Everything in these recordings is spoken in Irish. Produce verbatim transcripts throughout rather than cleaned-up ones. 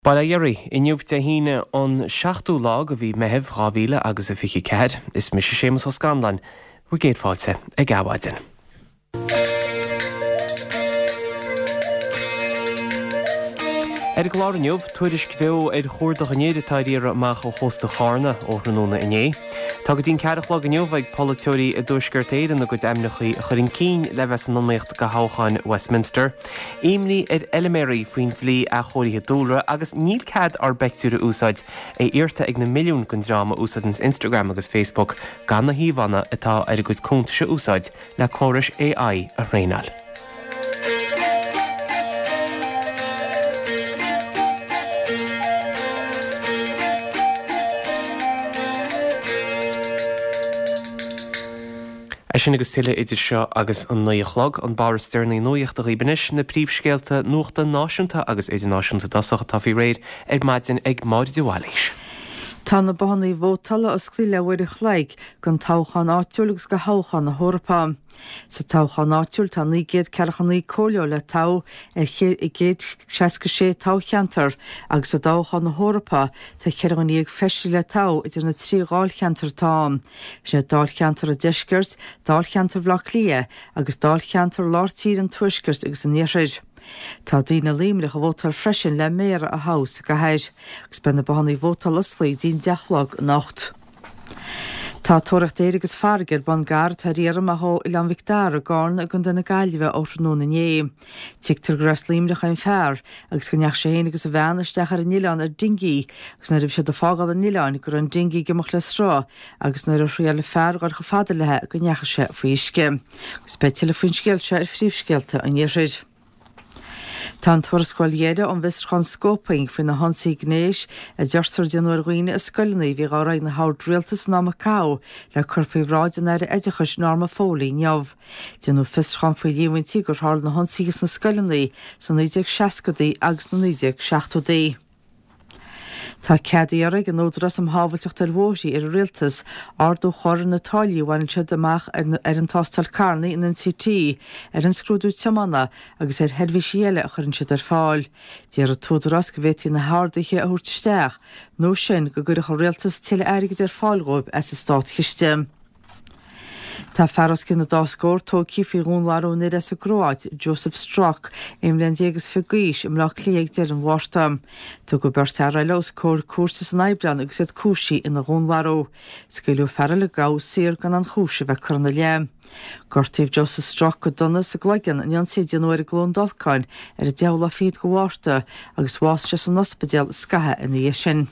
Bail ó Dhia oraibh, inniu Dé hAoine an seachtú lá de mhí Meitheamh dhá mhíle agus a fiche ceathair. Is mise Séamus Ó Scanláin, bhur gcéad fáilte ag Adhmhaidin. Ar an gclár inniu, tuairisc bheo ar chuardach an fhir atá ar iarraidh amach ó chósta Chárna ó thráthnóna inné. Tá go dtí an ceathair a chlog inniu ag polaiteoirí i dTuaisceart Éireann a gcuid ainmneacha a chur chun cinn le bheith san iomaíocht do thoghchán Westminster. Imní ar fheilméaraí faoin dlí athchóirithe dúlra agus níl cead ár bpeictiúir a úsáid, é iarrta ag na milliúin den dream a úsáideanns Instagram agus Facebook gan na híomhánna atá ar a gcuid cuntais a úsáid le córais AI a thraenáil. É sin agus tuilleadh idir seo agus an naoi a chlog, an barr is deireanaí nuachta dhaoibh anois, na príomhscéalta nuachta náisiúnta agus idirnáisiúnta i dtosach atá faoi réir ar maidin ag Máire de Bhailís. Tá na bothanna vótála osclaithe le huair a chloig don toghchán áitiúil agus do thoghchán na hEorpa. Sa toghchán áitiúil tá naoi gcéad ceathracha naoi comhairleoir le toghadh ar chéad seasca sé toghcheantar agus i dtoghchán na hEorpa tá ceithre dhuine dhéag feisire le toghadh idir na trí dháilcheantar atá ann, sin é Dáilcheantar an Deiscirt, Dáilcheantar Bhaile Átha Cliath agus Dáilcheantar Lár Tíre an Tuaiscirt agus an Iarthair. Tá daoine i Luimneach ag vótáil freisin le méara a thoghadh sa gcathair agus beidh na bothanna vótála osclaithe go dtí an deich a chlog anocht. Tá tóraíocht aeir agus farraige ar bun d'fhear atá ar iarraidh amach ó Oileán Mhic Dara i gCárna i gContae na Gaillimhe ó thráthnóna inné. Tuigtear gur as Luimneach é an fear agus go ndeachaigh sé féin agus a bhean isteach ar an oileán ar dingí agus nuair a bhí siad ag fágáil an oileáin go raibh an dingí ag imeacht le sruth agus nuair a thriail an fear dhul chomh fada léi go ndeachaigh sé faoi uisce. Agus beidh tuilleadh faoin scéal seo ar Phríomhscéalta an Iarthair. Tá an tuarascáil dheiridh ón bhfiosrúchán scóiping faoi na hionsaithe gnéis a deirtear a déanadh ar dhaoine i scoileanna a bhí dhá rith ag na hoird rialtais san am a caitheadh le cur faoi bhráid an Aire Oideachais Norma Foley inniu. Déanadh fiosrúchán faoi líomhaintí gur tharla na hionsaithe sna scoileanna sna naoi déag seascadaí agus sna naoi déag seachtóidí. Tá cead á iarraidh ag an Údarás um Shábháilteacht ar Bhóithre ar an Rialtas ardú a chur ar na táillí a bhaineann siad amach ar an tástáil carranna, an NCT, ar an scrúdú tiomána agus ar sheirbhísí eile a chuireann siad ar fáil. Deir an tÚdarás go bhféadfaí na harduithe a thabhairt isteach nó sin go gcuirfeadh an Rialtas tuilleadh airgid ar fáil dhóibh as an státchiste. Tá fear os cionn an dá scór tógtha faoi dhúnmharú an fhir as an gCróit, Josip Strok, aon bhliain déag is fiche d'aois, i mBleá Cliath ag deireadh an Mhárta. Tugadh beirt fhear eile os comhair cúirte san Aibreán agus iad cúisithe ina dhúnmharú. Scaoileadh fear eile a gabhadh saor gan aon chúis a bheith curtha ina leith. Gortaíodh Josip Strok go dona sa gcloigeann in ionsaí a déanadh air i gCluain Dolcáin ar an deichiú lá fichead de Mhárta agus bhásaigh sé san ospidéal scaitheamh ina dhiaidh sin.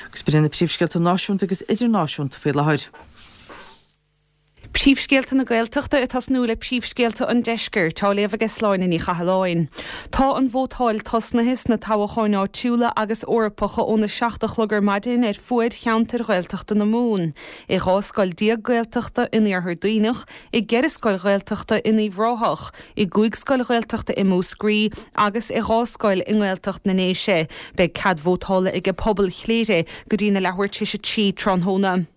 Agus b'in iad na príomhscéalta náisiúnta agus idirnáisiúnta faoi láthair. Príomhscéalta na Gaeltachta ag tosnú le príomhscéalta an Deiscirt, á léamh aige Sláine Ní Chathalláin. Tá an vótáil tosnaithe sna toghcháin áitiúla agus Eorpacha óna seacht a chlog ar maidin ar fuaid cheantair Ghaeltachta na Mumhan, i dhá scoil déag Gaeltachta in Iarthar Duibhneach, i gceithre scoil Ghaeltachta in Uíbh Ráthach, i gcúig scoil Ghaeltachta i Múscraí agus i dhá scoil i nGaeltacht na nDéise. Beidh cead vótála ag pobal Chléire go dtí na leathuair tar éis a trí tráthnóna.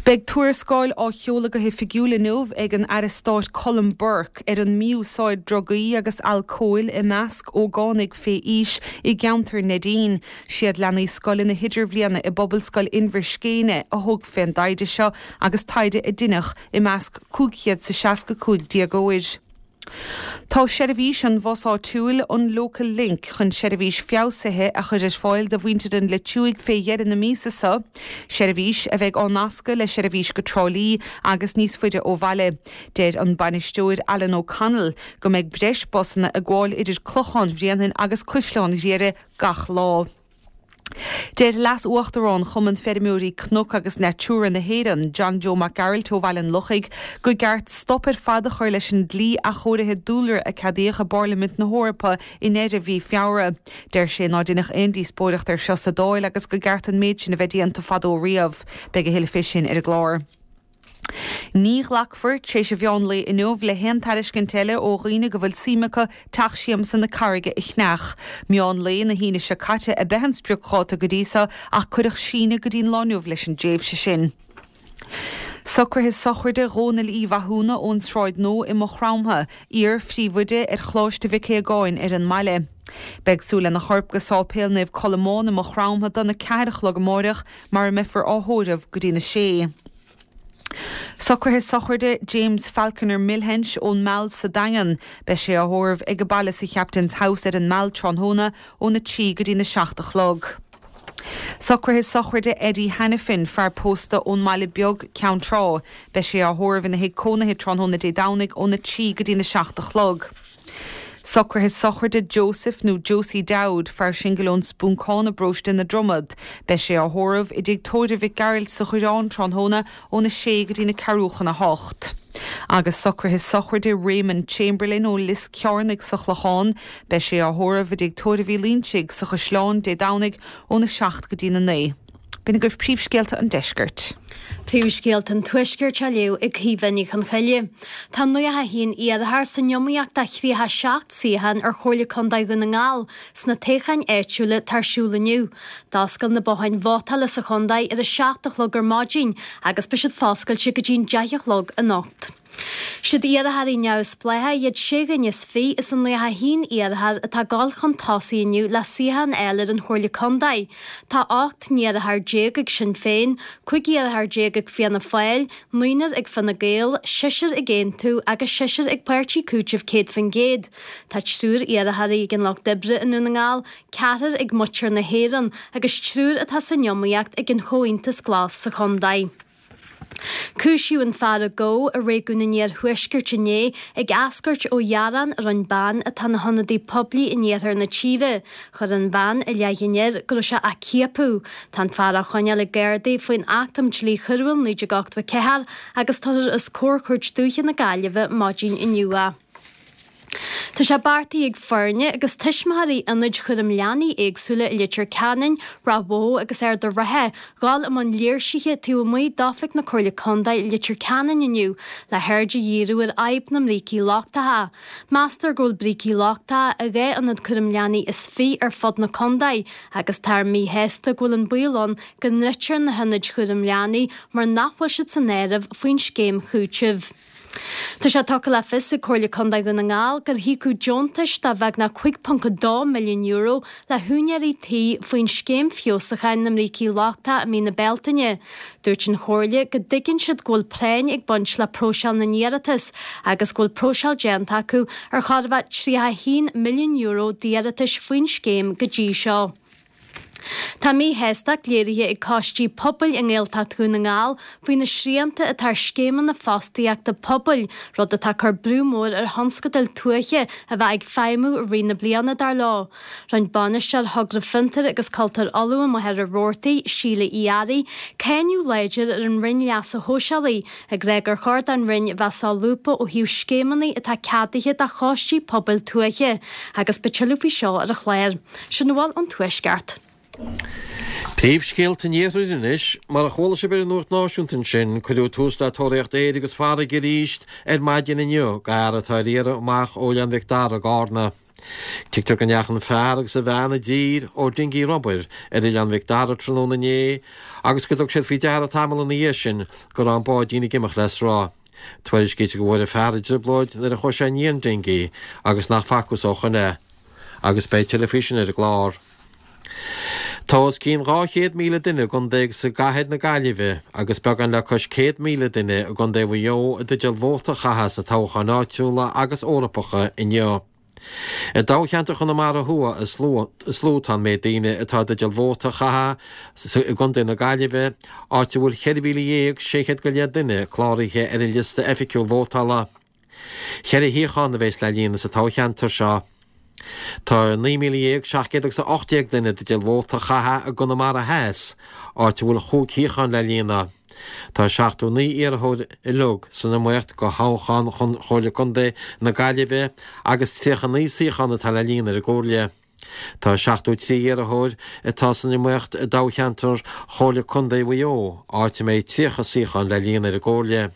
Beidh tuarascáil á sheoladh go hoifigiúil inniu ag an Aire Stáit Colm Burke ar an mí-úsáid drugaí agus alcóil i measc ógánaigh fé aois i gceantar Neidín. Siad leanaí scoile na hidirbhliana i bPobalscoil Inbhir Scéine a thug fén dtaighde seo agus taighde a deineadh i measc cúig chéad 's a seasca cúig déagóir. Tá seirbhís an bhus áitiúil, an Local Link, chun seirbhís feabhsaithe a chur ar fáil do mhuintir an Leitriúigh fé dheireadh na míosa seo, seirbhís a bheidh á nascadh le seirbhís go Trá Lí agus níos faide ó bhaile. Deir an bainisteoir Alan O'Connell go mbeidh breis busanna ag gabháil idir Clochán Bhréanainn agus Caisleán Ghriaire gach lá. Deir Leas-Uachtarán Chumann Feirmeoirí Cnoc agus Natura na hÉireann, John Joe Mac Gearailt ó Bhaile an Lochaigh, gur ceart stop ar fad a chur leis an dlí athchóirithe dúlra a ceadaíodh i bParlaimint na hEorpa i ndeireadh mhí Feabhra. Deir sé ná deineadh aon díospóireacht air seo sa Dáil agus gur ceart an méid sin a bheith déanta fadó riamh. Beidh a thuilleadh fé sin ar an gclár. Ní ghlacfar, tar éis an mheán lae inniu, le haon tairiscint eile ó dhaoine go bhfuil suim acu Teach Siamsa na Carraige a cheannach. Meán lae na hAoine seo caite ab ea an spriocdháta go dtí so ach cuireadh síneadh go dtí an lá inniu leis an dtréimhse sin. Socruithe sochraide Dhónaill Uí Mhathúna ón Sráid Nua i Maigh Chromtha, iar-phríomhoide ar Choláiste Mhic Aogáin ar an mbaile. Beidh súil lena chorp go Sáipéal Naomh Colmán i Maigh Chromtha dona ceathair a chlog amárach mar a mbeifear á thórramh go dtína sé. Socruithe sochraide James Falconer Milhench ón Meall sa Daingean, beidh sé á thórramh ag baile sa Captain's House ar an Meall tráthnóna óna trí go dtína seacht a chlog. Socruithe sochraide Eddie Hannafin fear pósta ón mBaile Beag Ceann Trá, beidh sé á thórramh ina thigh cónaithe tráthnóna Dé Domhnaigh óna trí go dtína seacht a chlog. Socruithe sochraide Joseph nó Josie Dowd fear singil ón Spúncán i bparóiste na Dromad, beidh sé á thórramh i dtigh tórraimh Mhic Gearailt sa Choireán tráthnóna óna sé go dtína ceathrú chun a hocht. Agus socruithe sochraide Raymond Chamberlain ó Lios Cearnaigh sa Chlochán, beidh sé á thórramh i dtigh tórraimh Uí Loinsigh sa Chaisleán Dé Domhnaigh óna seacht go dtína naoi. B'in agaibh príomhscéalta an deiscirt. Príomhscéalta an Tuaiscirt á léamh ag Caoimhe Ní Chonchoille. Tá nócha a haon iarrthóir san iomaíocht do thríocha seacht suíochán ar Chomhairle Contae Dhún na nGall sna toghcháin áitiúla atá ar siúl inniu. D'oscail na botháin vótála sa chontae ar a seacht a chlog ar maidin agus beidh siad foscailte go dtí'n deich a chlog anocht. Siad iarrthóirí neamhspleácha iad sé dhuine is fiche as an nócha a haon iarrthóir atá ag dul chun tosaigh inniu le suíochán a fháil ar an Chomhairle Contae. Tá ocht n-iarrthóir déag ag Sinn Féin, cúig iarrthóir déag ag Fianna Fáil, naonúr ag Fine Gael, seisear ag Aontú agus seisear ag Páirtí Cúitimh Céad Faoin gCéad. Tá triúr iarrthóirí ag an Lucht Oibre i nDún na nGall, ceathrar ag Muintir na hÉireann agus triúr atá san iomaíocht ag an Chomhaontas Glas sa chontae. Cúisíodh an fear a gabhadh i réigiún an Iarthuaiscirt inné ag eascairt ó ghearán a rinne bean atá ina hionadaí poiblí in iarthar na tíre. Chuir an bhean i leith an fhir go raibh sé á ciapadh. Tá an fear á choinneáil ag Gardaí faoin Acht um Dhlí Choiriúil naoi déag ochtó a ceathair agus tabharfar os comhair Chúirt Dúiche na Gaillimhe maidin inniu é. Tá sé beartaithe ag foirne agus tuismitheoirí ionaid chúram leanaí éagsúla i Leitir Ceanainn, Ráth Bhoth agus Ard an Rátha dhul i mbun léirsithe taobh amuigh d'oifig na Comhairle Contae i Leitir Ceanainn inniu le haird a dhíriú ar fhadhb na mbrící lochtacha. Meastar go bhfuil brící lochtacha i dhá ionad cúram leanaí is fiche ar fud na contae agus táthar míshásta go bhfuil an baol ann go ndruidfear na hionaid chúram leanaí mar nach bhfuil siad san áireamh faoin scéim chúitimh. Tá sé tugtha le fios ag Comhairle Contae Dhún na nGall gur híocadh deontais de bheagnach cúig ponc a dó milliún euro le húinéirí tí faoin scéim feabhsúcháin na mbrící lochtacha i mí na Bealtaine. Dúirt an Chomhairle go dtuigeann siad go bhfuil práinn ag baint le próiseáil na n-iarratas agus go bhfuil próiseáil déanta acu ar chóir a bheith tríocha a haon milliún euro d'iarratais faoin scéim go dtí seo. Tá míshástacht léirithe ag coistí pobail i nGaeltacht Dhún na nGall faoi na srianta atá ar scéimeanna fostaíochta pobail, rud atá ag cur brú mór ar thionscadail tuaithe a bheith ag feidhmiú i rith na bliana, dar leo. Rinne bainisteoir Thogra Fiontair agus Cultúir Uladh i Machaire Rabhartaigh, Síle Uí Fhearraigh, cáineadh láidir ar an Roinn Leasa Shóisialaigh, ag rá gur chóir don Roinn a bheith solúbtha ó thaobh scéimeanna atá ceadaithe do choistí pobail tuaithe, agus beidh tuilleadh faoi seo ar an chlár. Sin a bhfuil ón Tuaisceart. Príomhscéalta an Iarthair anois. Mar a chuala sibh ar an Nuacht Náisiúnta ansin, cuireadh tús le tóraíocht aeir agus farraige arís ar maidin inniu d'fhear atá ar iarraidh amach ó Oileán Mhic Dara i gCarna. Tuigtear go ndeachaigh an fear agus a bhean i dtír ó dingí rubair ar Oileán Mhic Dara tráthnóna inné agus go dtug siad faoi deara tamall ina dhiaidh sin go raibh an báidín ag imeacht le sruth. Tuairiscítear go bhfuair an fear i dtrioblóid nuair a chuaigh sé i ndiaidh an dingí agus nach bhfacthas ó shoin é. Agus beidh tuilleadh faoi sin ar an gclár. Tá os cionn dhá chéad míle duine i gcontae agus i gcathair na Gaillimhe agus beagán le cois céad míle duine i gcontae Mhaigh Eo i dteideal vóta a chaitheamh sna toghcháin áitiúla agus Eorpacha inniu. I dtoghcheantar Chonamara Thuaidh is lú atá an méid daoine atá i dteideal vóta a chaitheamh i gcontae na Gaillimhe, áit a bhfuil ceithre mhíle dhéag sé chéad go leith duine cláraithe ar an liosta oifigiúil vótála. Ceithre shuíochán a bheas le líonadh sa toghcheantar seo. Tá naoi míle dhéag seacht gcéad agus a ocht déag duine i dteideal vóta a chaitheamh i gConamara Theas, áit a bhfuil chúig shuíochán le líonadh. Tá seachtó naoi iarrthóir uilig san iomaíocht do thoghchán chun Chomhairle Contae na Gaillimhe agus tríocha naoi suíochán atá le líonadh ar an gComhairle. Tá seachtó trí iarrthóir atá san iomaíocht i dtoghcheantar Chomhairle Contae Mhaigh Eo, áit a mbeidh tríocha suíochán le líonadh ar an gComhairle.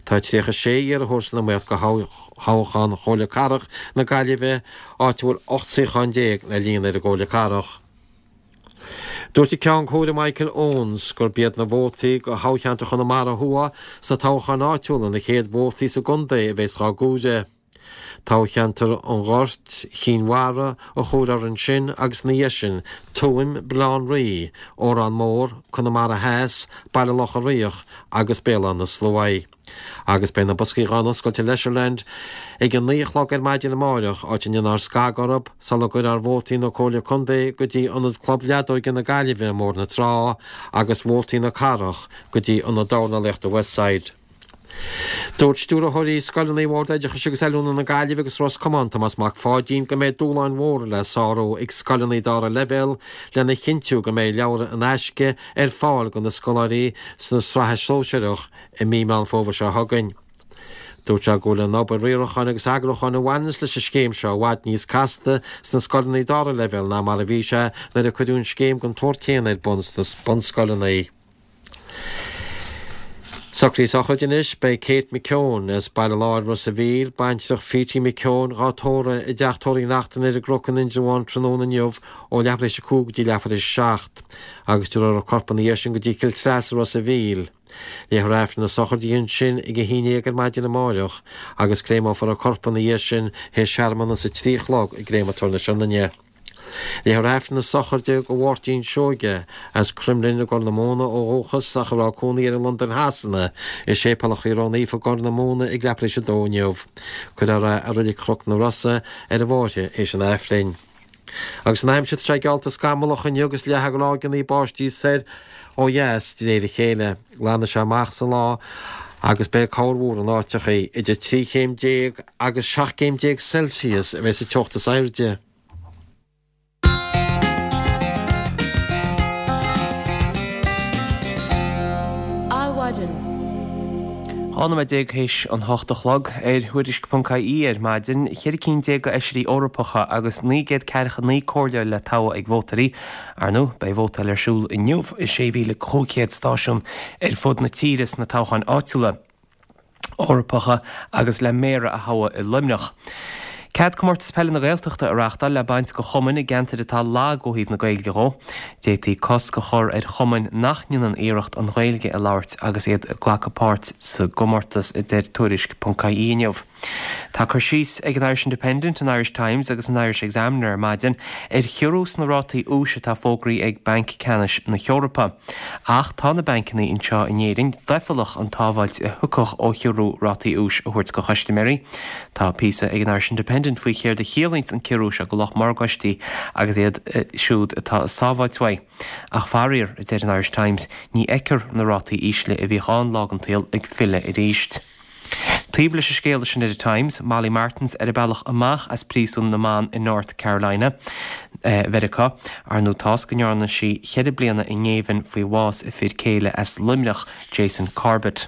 Tá tríocha sé iarrthóir san iomaíocht do thoghchán Chomhairle Cathrach na Gaillimhe, áit a bhfuil ocht suíochán déag le líonadh ar an gComhairle Cathrach. Dúirt an Ceann Comhairle Michael Owens gurb iad na vótaí do thoghcheantar Chonamara Thuaidh sna toghcháin áitiúla na chéad vótaí sa gcontae a bheas dhá gcomhaireamh. Toghcheantar an Ghoirt, Chinn Mhara a chomhaireofar ansin agus ina dhiaidh sin Tuaim, Baile Átha an Rí, Órán Mór, Conamara Theas, Baile Locha Riach agus Béal Átha na Sluaighe. Agus beidh na boscaí dhá n-oscailt i Leisureland ag a naoi a chlog ar maidin amáireach, áit a ndéanfar scagadh orthu sula gcuirfear vótaí na Comhairle Contae go dtí Ionad Club Leadóige na Gaillimhe i mBóthar na Trá agus vótaí na Cathrach go dtí Ionad Dornálaíochta Westside. Dúirt stiúrthóirí scoileanna Bhord Oideachais agus Oiliúna na Gaillimhe agus Ros Comáin, Tomás Mac Pháidín, go mbeidh dúshláin mhóra le sárú ag scoileanna dara leibhéal lena chinntiú go mbeidh leabhra in aisce ar fáil do na scoláirí sna sraithe sóisearach i mí Meán Fómhair seo chugainn. Dúirt sé go bhfuil an obair riaracháin agus eagrúcháin a bhaineanns leis an scéim seo i bhfad níos casta sna scoileanna dara leibhéal ná mar a bhí sé nuair a cuireadh an scéim den tsórt céanna ar bun sna bunscoileanna. Socruithe sochraide anois, beidh Kate McKeown as Baile Láir, Ros a' Mhíl, baintreach Phetie McKeown, dhá tórramh i dTeach Tórraimh Uí Neachtain ar an gCnoc in Indreabhán tráthnóna inniu ó leathuair théis a cúig go dtí leathuair théis a seacht agus tabharfar a corp ina dhiaidh sin go dtí Cill Treasa, Ros a' Mhíl. Léifear Aifreann na sochraide ansin ag a haon déag ar maidin amáireach agus créamófar a corp ina dhiaidh sin théis searmanas a trí a chlog i gCréamatóir na Sionainne. Léifear Aifreann na sochraide do Mháirtín Seoige, as Cromghlinn i gCorr na Móna ó dhúchas ach a raibh cónaí air i Londain Shasana, i Séipéal an Chroí Ró-Naofa i gCorr na Móna ag leathuair théis a dó inniu. Cuirfear é i Reilig Chnoc na Rosa ar an bhfáirche théis an Aifrinn. Agus an aimsir, tá sé geallta scamallach inniu agus leathadh ráigeanna báistí soir ó dheas de réir a chéile. Glanfaidh sé amach sa lá agus beidh corrmhúr in áiteachaí. Idir trí chéim déag agus seacht gcéim déag Celsius a bheidh sa teocht is airde. Adhmhaidin. Dhá nóiméad déag théis an hocht a chlog, ar Thuairisc ponc IE ar maidin, ceithre cinn déag d'fheisirí Eorpacha agus naoi gcéad ceathracha naoi comhairleoir le toghadh ag vótóirí. Ar ndóigh, beidh vótáil ar siúl inniu i sé mhíle cúig chéad stáisiún ar fud na tíre sna toghcháin áitiúla. Eorpacha agus le Méara a thoghadh i Luimneach. Cead Comórtas Peile na Gaeltachta a reáchtáil le baint do chumainn i gceantair atá lag ó thaobh na Gaeilge dhó. D'fhéadfaí cosc a chur ar chumainn nach ndéanann iarracht an Ghaeilge a labhairt agus iad ag glacadh páirt sa gcomórtas, a deir Tuairisc ponc IE inniu. Tá cur síos ag an Irish Independent, an Irish Times agus an Irish Examiner ar maidin ar chiorrú sna rátaí úis atá fógraithe ag Banc Ceannais na hEorpa. Ach tá na bancanna anseo in Éirinn doicheallach an tsábháilt a thiocfadh ó chiorrú rátaí úis a thabhairt do chustaiméirí. Tá píosa ag an Irish Independent faoi chéard a chiallaíonns an ciorrú seo do lucht morgáistí agus iad siúd atá ag sábháilt uaidh. Ach faraor, a deir an Irish Times, ní fheicfear na rátaí ísle a bhíodh ann lá den tsaol ag filleadh arís. Taobh leis an scéal sin ar an Times, Molly Martens ar a bealach amach as príosún na mban i North Carolina, Mheiriceá. Ar ndóigh toisc go ndearna sí ceithre bliana i ngéibheann faoi bhás a fir céile as Luimneach, Jason Corbett.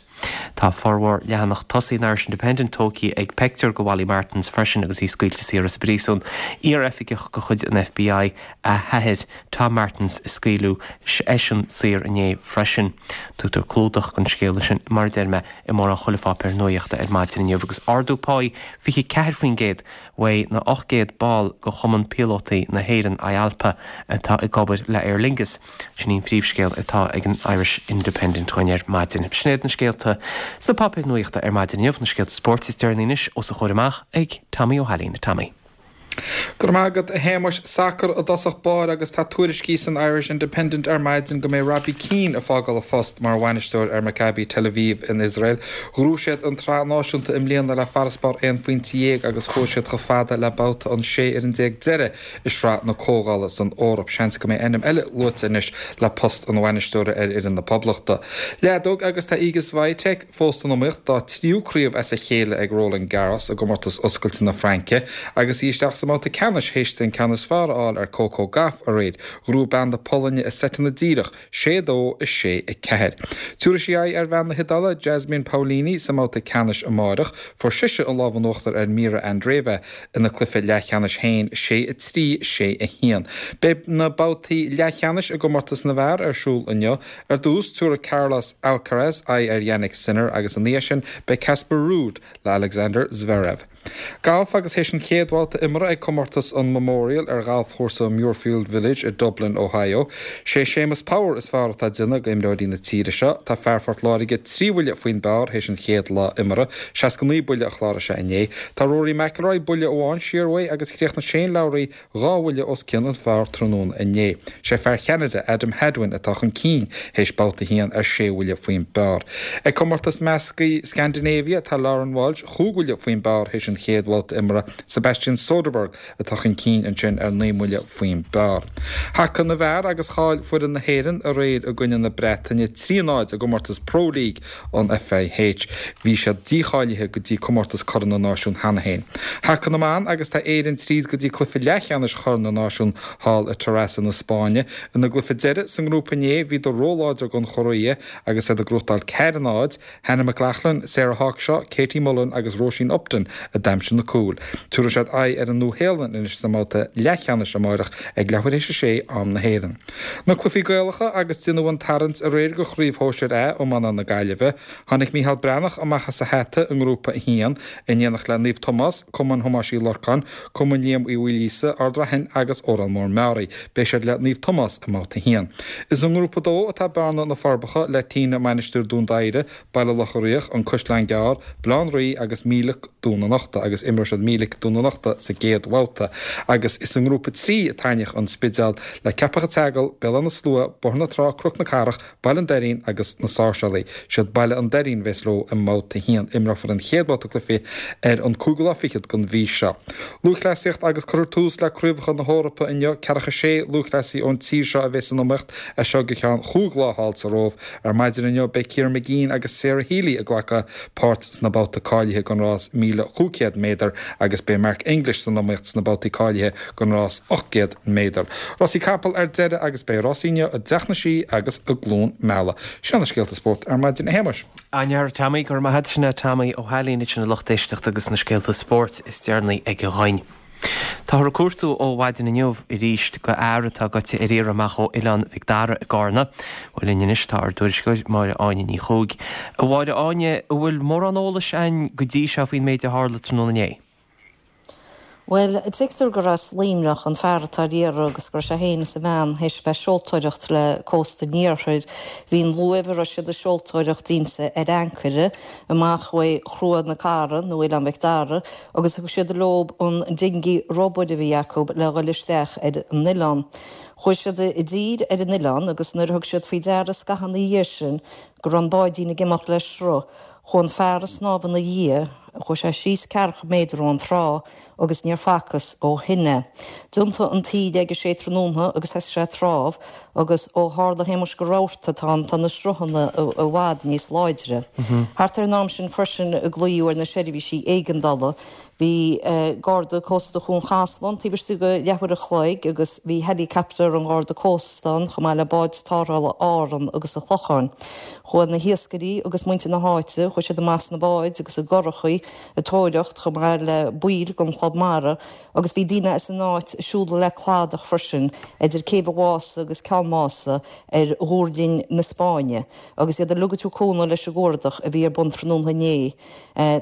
Tá formhór leathanach tosaigh an Irish Independent tógtha ag peictiúr de Mholly Martens freisin agus í scaoilte saor as an bpríosún. Iar-oifigeach de chuid an FBI a hathair, Tom Martens, a scaoileadh eisean saor inné freisin. Tugtar clúdach don scéala sin, mar a deir mé, i mórán chuile pháipéar nuaíochta ar maidin inniu agus ardú páí fiche ceathair faoin gcéad uaidh na ocht gcéad ball de Chumann Píolótaí na hÉireann, IALPA, atá ag obair le Aer Lingus. Sin í an phríomhscéal atá ag an Irish Independent dhúinn ar maidin. Sin iad na scéalta sna páipéir nuaíochta ar maidin inniu, na scéalta spóirt is deireanaí anois os a chomhair amach ag Tommy Ó hAilín. Tommy. Go raibh maith agat, a Shéamais. Sacar i dtosach báire agus tá tuairiscí san Irish Independent ar maidin go mbeidh Robbie Keane ag fágáil a phost mar bhainisteoir ar Maccabi Tel Aviv in Iosrael. Ghnóthaigh siad an tsraith náisiúnta i mbliana le farasbarr aon phointe dhéag agus chuaigh siad chomh fada le babhta an sé fhoireann déag deiridh i sraith na Comhdhála san Eoraip. Seans go mbeidh ainm eile luaite anois le post an bhainisteora ar fhoireann na Poblachta. Leadóg agus tá Iga Swiatek fós san iomaíocht dá tríú craobh as a chéile ag Roland Garros i gcomórtas oscailte na Fraince agus í isteach sa mbabhta ceannais théis di an ceann is fearr a fháil ar Coco Gauff aréir. Ghnóthaigh bean na Polainne i seiteanna díreach, sé a dó, a sé a ceathair. Tabharfaidh sí aghaidh ar bhean na hIodáile, Jasmine Paolini, sa mbabhta ceannais amáireach. Fuair sise an lámh in uachtar ar Mirra Andreeva ina cluiche leathcheannais féin, sé a trí, sé a haon. Beidh na babhtaí leathcheannais i gcomórtas na bhfear ar siúl inniu. Ar dtús, tabharfaidh Carlos Alcaraz aghaidh ar Jannik Sinner agus ina dhiaidh sin beidh Casper Ruud le Alexander Zverev. Galf agus théis an chéad bhabhta imeartha ag comórtas an Memorial ar ghalfchúrsa Muirfield Village i Dublin, Ohio. Sé Séamus Power is fearr atá ag déanamh d'imreoirí na tíre seo. Tá fear Phort Láirge trí bhuille faoin bpar théis an chéad lá imeartha, seasca naoi buille a chláraigh sé inné. Tá Rory McIlroy buille amháin siar uaidh agus chríochnaigh Shane Lowry dhá bhuille os cionn an phar tráthnóna inné. Sé fear Cheanada, Adam Hadwin, atá chun cinn théis babhta a haon ar sé bhuille faoin bpar. Ag comórtas measctha Scandinavia tá Lauren Walsh chúig bhuille faoin bpar théis an chéad bhabhta imeartha, Sebastian Soderberg atá chun cinn ansin ar naoi mbuille faoin bpar. Haca na bhfear agus chaill foireann na hÉireann aréir i gcoinne na Breataine trí a náid i gcomórtas Pro League an FIH. Bhí siad dícháilithe go dtí comórtas Corn na Náisiún cheana féin. Haca na mban agus tá Éirinn tríd go dtí cluiche leathcheannais Chorn na Náisiún thall i Terrassa na Spáinne. Ina gcluiche deiridh sa ngrúpa inné bhíodar róláidir don Chóiré agus iad ag gnóthachtáil ceathair a náid, Hannah McLaughlin, Sarah Hawkshaw, Katie Mullen agus Róisín Upton a d'aimsigh na cúil. Tabharfaidh siad aghaidh ar an Nua-Shéalainn anois sa mbabhta leathcheannais amárach ag leathuair théis a sé am na hÉireann. Na cluichí Gaelacha agus déanadh an tarraingt aréir do Chraobh Shóisir A Iomána na Gaillimhe. Tháinig Micheál Breathnach amach as a hata i nGrúpa a haon, in éineacht le Naomh Tomás, Cumann Thomáis Uí Lorcáin, Cumann Liam Uí Mhaoilíosa, Ard Raithin agus Órán Mór Meáraí. Beidh siad le Naomh Tomás i mbabhta a haon. Is i nGrúpa a dó atá Bearna, Na Forbacha, le Tine, Mainistir Dún Doighre, Baile Locha Riach, An Caisleán Gearr, Baile Átha an Rí agus Mílic Dún an Uchta agus imreoidh siad Mílic Dún an Uchta sa gcéad bhabhta. Agus is i nGrúpa a trí a tarraingíodh An Spidéal le Ceapach an tSeagail, Béal Átha na Slua, Bóthar na Trá, Cnoc na Cathrach, Baile an Doirín agus na Sáirséalaigh. Siad Baile an Doirín a bheas leo i mbabhta a haon. Imreofar an chéad bhabhta cluichí ar an cúigiú lá fichead den mhí seo. Lúthchleasaíocht agus cuirfear tús le Craobhacha na hEorpa inniu. Ceathracha sé lúthchleasaí ón tír seo a bheas san iomaíocht as seo go ceann chúig lá thall sa Róimh. Ar maidin inniu beidh Ciara Mageean agus Sarah Healy ag glacadh páirt sna babhta cáilithe don rás míle chúig chéad méadar agus beidh Mark English san iomaíocht sna babhtaí cáilithe don rás ocht gcéad méadar. Rásaí capall ar deireadh agus beidh rásaí inniu i dTeach na Sí agus i gCluain Meala. Sin na scéalta spóirt ar maidin, a Shéamais. An-fhear Tommy, go raibh maith agat. Sin é Tommy Ó hAilín ansin a lucht éisteachta agus na scéalta spóirt is deireanaí aige dhúinn. Táthar ag cuartú ó mhaidin inniu arís do fhear atá goite ar iarraidh amach ó Oileán Mhic Dara i gCarna. Bhuel linn anois tá ár dtuairisceoir Máire Áine Ní Chuaig. A Mháire Áine, an bhfuil mórán eolais againn go dtí seo faoin méid a tharla tráthnóna inné? Bhuel, tuigtear gur as Luimneach an fear atá ar iarraidh agus go raibh sé féin is a bhean théis bheith seoltóireacht le cósta an iarthair. Bhí an luaimh a raibh siad ag seoltóireacht inti ar ancaire amach uaidh Chruaich na Cara nó Oileán Mhic Dara agus thug siad leob an dingí rubair a bhí acu le dhul isteach ar an oileán. Chuaigh siad i dtír ar an oileán agus nuair a thug siad faoi deara scaitheamh ina dhiaidh sin go raibh an báidín ag imeacht le sruth, Chuaigh an fear ag snámh ina dhiaidh, chuaigh sé síos ceathracha méadar ón trá agus níor facthas ó shin é. D'iontaigh an taoide ag a sé tráthnóna agus thosaigh sé ag trámh agus ó tharla a Shéamais gur rabharta atá ann tá na sruthanna i bhfad níos láidre. Thart ar an am sin freisin a glaodh ar na seirbhísí éigeandála. Bhí Garda Cósta Chuan Chaslán taobh istigh de leathuair a chloig agus bhí heileacaptar an Gharda Cósta ann chomh maith le báid tarrthála Árann agus an Chlocháin. Chuaigh na hiascairí agus muintir na háite, chuaigh siad amach sna báid agus i gcurachaí ag tóraíocht chomh maith le baill den Chlub Mara agus bhí daoine as an áit ag siúl le cladach freisin idir Céibh an Mhása agus Ceann Mása ar ghuairlinn na Spáinne agus iad uilig ag tabhairt cúnamh leis an gcuardach a bhí ar bun tráthnóna inné.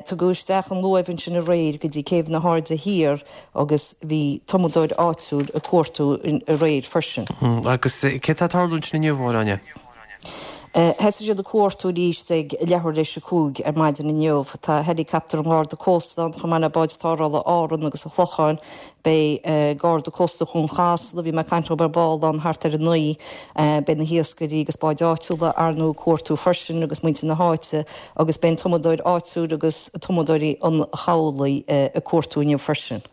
Tugadh isteach an luaimh ansin aréir go dtí Céibh na hAirde Thiar agus bhí tumadóir áitiúil ag cuartú aréir freisin. Agus céard atá ag tarlú ansin inniu, a Mháire Áine? Thosaigh siad ag cuartú arís ag leathuair théis a cúig ar maidin inniu. Tá heileacaptar an Gharda Cósta ann chomh maith le báid tarrthála Árann agus an Chlocháin. Beidh Garda Cósta Chuan Chasla, a bhí mé ag caint leo ar ball, ann thart ar a naoi. Beidh na hiascairí agus báid áitiúla ar ndóigh ag cuartú freisin agus muintir na háite agus beidh an tumadóir áitiúil agus tumadóirí an chabhlaigh ag cuartú inniu freisin.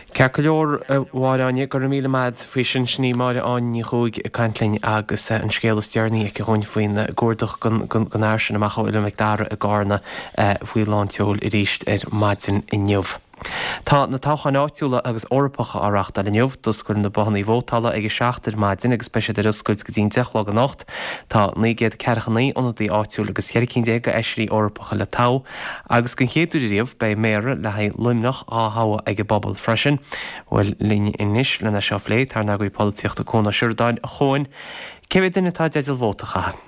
Ceart go leor, a Mháire Áine, go raibh míle maith agat faoi sin. Sin í Máire Áine Ní Chuaig ag caint linn agus an scéal is deireanaí aici dhúinn faoin gcuardach don fhear sin amach ó Oileán Mhic Dara i gCarna faoi lán tseoil arís ar maidin inniu. Tá na toghcháin áitiúla agus Eorpacha á reáchtáil inniu. D'oscail na bothanna vótála ag a seacht ar maidin agus beidh siad ar oscailt go dtí an deich a chlog anocht. Tá naoi gcéad ceathracha naoi ionadaí áitiúil agus ceithre cinn déag d'fheisirí Eorpacha le toghadh agus den chéad uair ariamh beidh méara le haghaidh Luimneach á thoghadh ag an bpobal freisin. Bhuel, linn anois lena seo a phlé, tá ár n-eagraí polaitíochta Cuan Ó Seireadáin. A Chuain, cé mhéad duine atá i dteideal vóta a chaitheamh?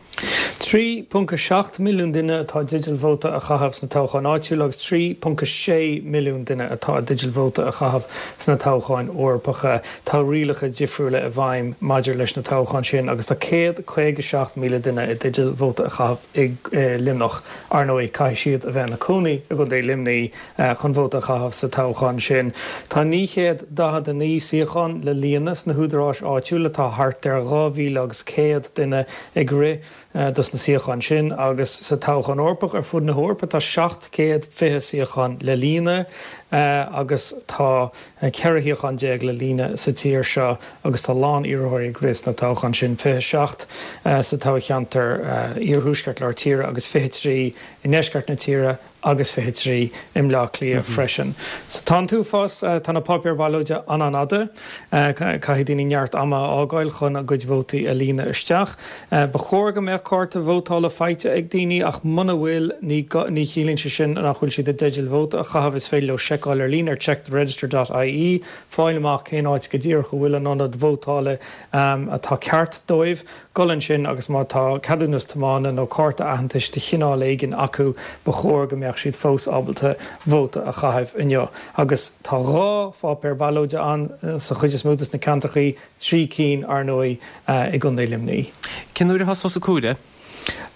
Trí ponc a seacht milliún duine atá i dteideal vóta a chaitheamh sna toghcháin áitiúla agus trí ponc a sé milliún duine atá i dteideal vóta a chaitheamh sna toghcháin Eorpacha. Tá rialacha difriúla i bhfeidhm maidir leis na toghcháin sin agus tá céad caoga seacht míle duine i dteideal vóta a chaitheamh i Luimneach. Ar ndóigh, caithfidh siad a bheith ina cónaí i gContae Luimnigh chun vóta a chaitheamh sa toghchán sin. Tá naoi chéad daichead a naoi suíochán le líonadh sna húdaráis áitiúla, tá thart ar dhá mhíle agus céad duine ag rith dos na suíocháin sin agus sa toghchán Eorpach ar fud na hEorpa tá seacht gcéad fiche suíochán le líonadh agus tá ceithre shuíochán déag le líonadh sa tír seo agus tá a lán iarrthóirí ag rith sna toghcháin sin, fiche seacht sa toghcheantar iarthuaisceart lár tíre agus fiche trí i ndeisceart na tíre agus fiche trí i mBleá Cliath freisin. So tá an t-uafás, tá na páipéir ballóide an-an-fhada, caithfidh daoine neart ama a fhágáil chun a gcuid vótaí a líonadh isteach. Ba chóir go mbeadh cárta vótála faighte ag daoine ach muna bhfuil, ní ní chiallaíonn sé sin nach bhfuil siad i dteideal vóta a chaitheamh, is féidir leo seiceáil ar líne ar checktheregister dot ie, fáil amach cén áit go díreach a bhfuil an ionad vótála atá ceart dóibh. Dul ansin agus má tá ceadúnas tiomána nó cárta aitheantais de chineál éigin acu, ba chóir go mbeadh siad fós ábalta vóta a chaitheamh inniu. Agus tá dhá pháipéar ballóide ann sa chuid is mó de na ceantrachaí, trí cinn, ar ndóigh, i gContae Luimnigh. Cén uair a thosós an comhaireamh?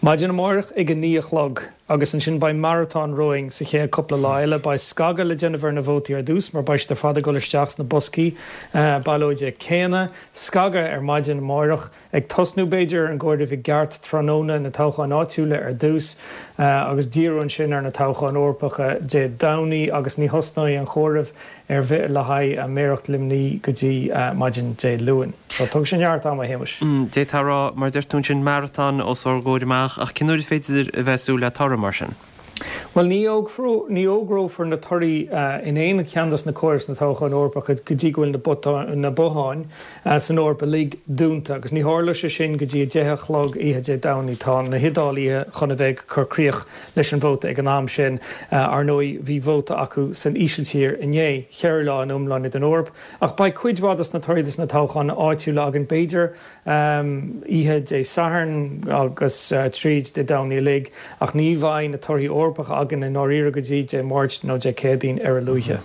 Maidin amárach ag a naoi a chlog agus ansin beidh maratón romhainn sa chéad cúpla lá eile. Beidh scagadh le déanamh ar na vótaí ar dtús mar beidh siad ar fad ag dul isteach sna boscaí ballóide céanna. Scagadh ar maidin amárach, ag tosnú b'fhéidir ar an gcomhaireamh i gceart tráthnóna, na toghcháin áitiúla ar dtús agus díriú ansin ar na toghcháin Eorpacha Dé Domhnaigh agus ní thosnóidh an chomhaireamh ar bith le haghaidh méaracht Luimnigh go dtí maidin Dé Luain. So tógfaidh sé neart ama, a Shéamais. D'fhéadfá a rá, mar a deir tú ansin, maratón os ár gcomhair amach, ach cén uair is féidir a bheith ag súil le toradh mar sin? Bhuel, ní ní fhógrófar na torthaí in aon cheann dos na comhairimh sna toghcháin Eorpacha go dtí go bhfuil na botháin san Eoraip uilig dúnta, agus ní tharlóidh sé sin go dtí a deich a chlog oíche Dé Domhnaigh. Tá na hIodálaithe chun a bheith ag cur críoch leis an vóta ag an am sin. Ar ndóigh, bhí vóta acu san Ísiltír inné, ceithre lá in iomláine don Eoraip. Ach beidh cuid mhaith dos na torthaí dos na toghcháin áitiúla againn, b'fhéidir, oíche Dé Sathairn agus tríd Dé Domhnaigh uilig, ach ní bheidh na torthaí Eorpacha againn i ndáiríre go dtí Dé Máirt nó Dé Céadaoin ar a luaithe.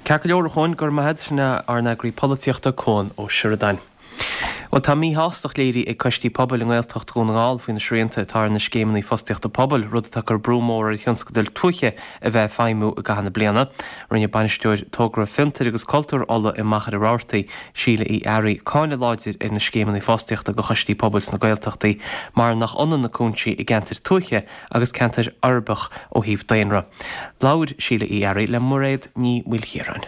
Ceart go leor, a Chuain, go raibh maith agat. Sin é ár n-eagraí polaitíochta, Cuan Ó Seireadáin. Bhuel, tá míshástacht léirithe ag coistí pobail i nGaeltacht Dhún na nGall faoi na srianta atá ar na scéimeanna fostaíochta pobail, rud atá ag cur brú mór ar thionscadail tuaithe a bheith ag feidhmiú i gcaitheamh na bliana. Rinne Bainisteoir Togra Fiontair agus Cultúir Uladh i Machaire Rabhartaigh, Síle Uí Fhearraigh, cáineadh láidir ar na scéimeanna fostaíochta do choistí pobail sna Gaeltachtaí mar nach ionann na cúinsí i gceantair tuaithe agus ceantair uirbeach ó thaobh daonra. Labhair Síle Uí Fhearraigh le Mairéad Ní Mhaoilchiaráin.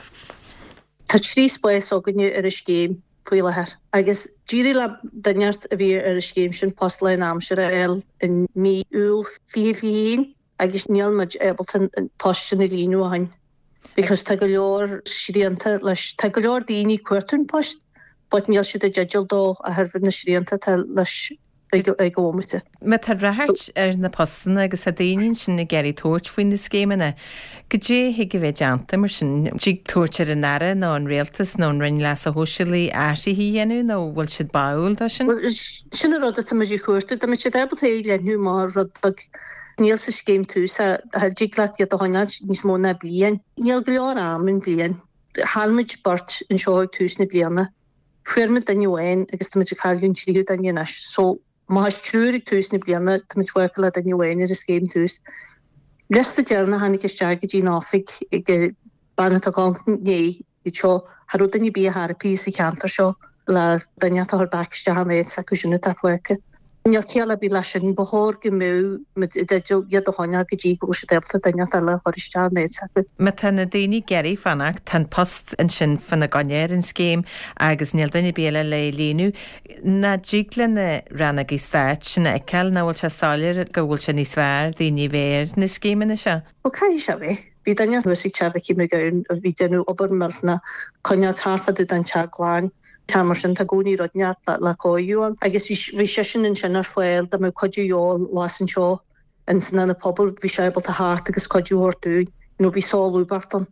Tá trí spás againne ar an scéim faoi láthair agus d'éirigh le duine a bhí ar an scéim sin post lánaimseartha a fháil i mí Iúil fiche fiche haon agus níl muid ábalta an post sin a líonadh ó shin because tá go leor srianta leis. Tá go leor daoine ag cuartú an post but níl siad i dteideal dó a thairbhe na srianta atá leis ag an bhomaite. Má tá ráchairt ar na postanna agus tá daoine ansin ag iarraidh tabhairt faoi na scéimeanna, goidé a thig a bheith déanta mar sin? Dtig tabhairt ar an Aire nó an Rialtas nó an Roinn Leasa Shóisialaigh athruithe a dhéanamh nó bhfuil siad báúil dó sin? Bhuel, sin an rud atá muid ag cuartú. Dá mbeadh siad ábalta é a leathnú amach rud beag. Níl sa scéim Tús a dtig leat iad a choinneáil níos mó ná bliain. Níl go leor am in bliain. Chaill muid beirt anseo ag tús na bliana. Fuair muid duine amháin agus tá muid ag cailleadh an tríú duine anois. So, má thá triúr ag tús na bliana, tá muid fágtha le duine amháin ar an scéim Tús. Liosta deireanach a tháinig isteach go dtí an oifig ag bean atá ag amharc inné iad seo, cha raibh duine ar bith ar bith sa cheantar seo le duine atá a chur back isteach in áit s'acu sin atá fágtha. Níl ciall ar bith leis sin, ba chóir go mbeadh muid i dteideal iad a choinneáil go dtí go bhfuil siad ábalta duine eile a chur isteach in áit s'acu. Má tá na daoine ag iarraidh fanacht, tá an post ansin fána gcoinne ar an scéim agus níl duine ar bith eile le líonadh. Nach dtig le na rannógaí stáit sin a fheiceáil, nach bhfuil sé soiléir go bhfuil sé níos fearr daoine a bheith ar na scéimeanna seo? Bhuel, caithfidh sé a bheith. Bhí duine thuas ag Teach Mhicí McGowan a bhí ag déanamh obair millteanach, coinneáil thart fá dtaobh den teach glan. Tá mar sin, tá i gcónaí rud inteacht le cóiriú ann. Agus bhí seisean ansin ar fáil dá mbeadh cuidiú de dhíobháil abhus anseo ins an ionad pobail, bhí sé ábalta theacht agus cuidiú a thabhairt dúinn. You know, bhí solúbthacht ann.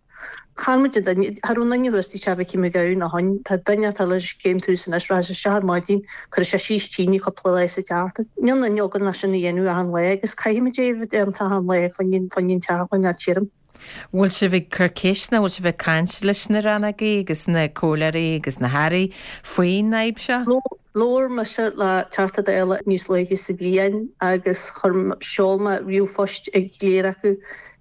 Chaill muid an duine, cha raibh aon duine thuas tigh Mhicí McGowan ó shoin, tá duine atá le scéim Tús anois, rachaidh sé isteach ar maidin, cuirfidh sé síos tine cúpla lá sa tseachtain. Níl aon duine againn le sin a dhéanamh achan lá agus caithfimid é a bheith déanta achan lá fá choinne an teach a choinneáil tirim. Bhfuil sibh ag cur ceist nó bhfuil sibh ag caint leis na rannógaí agus na comhairleoirí agus na hairí faoin fhadhb seo? Labhair mise le Teachta Dála níos luaithe sa bhliain agus chuir sheol mé ríomhphost ag go léir acu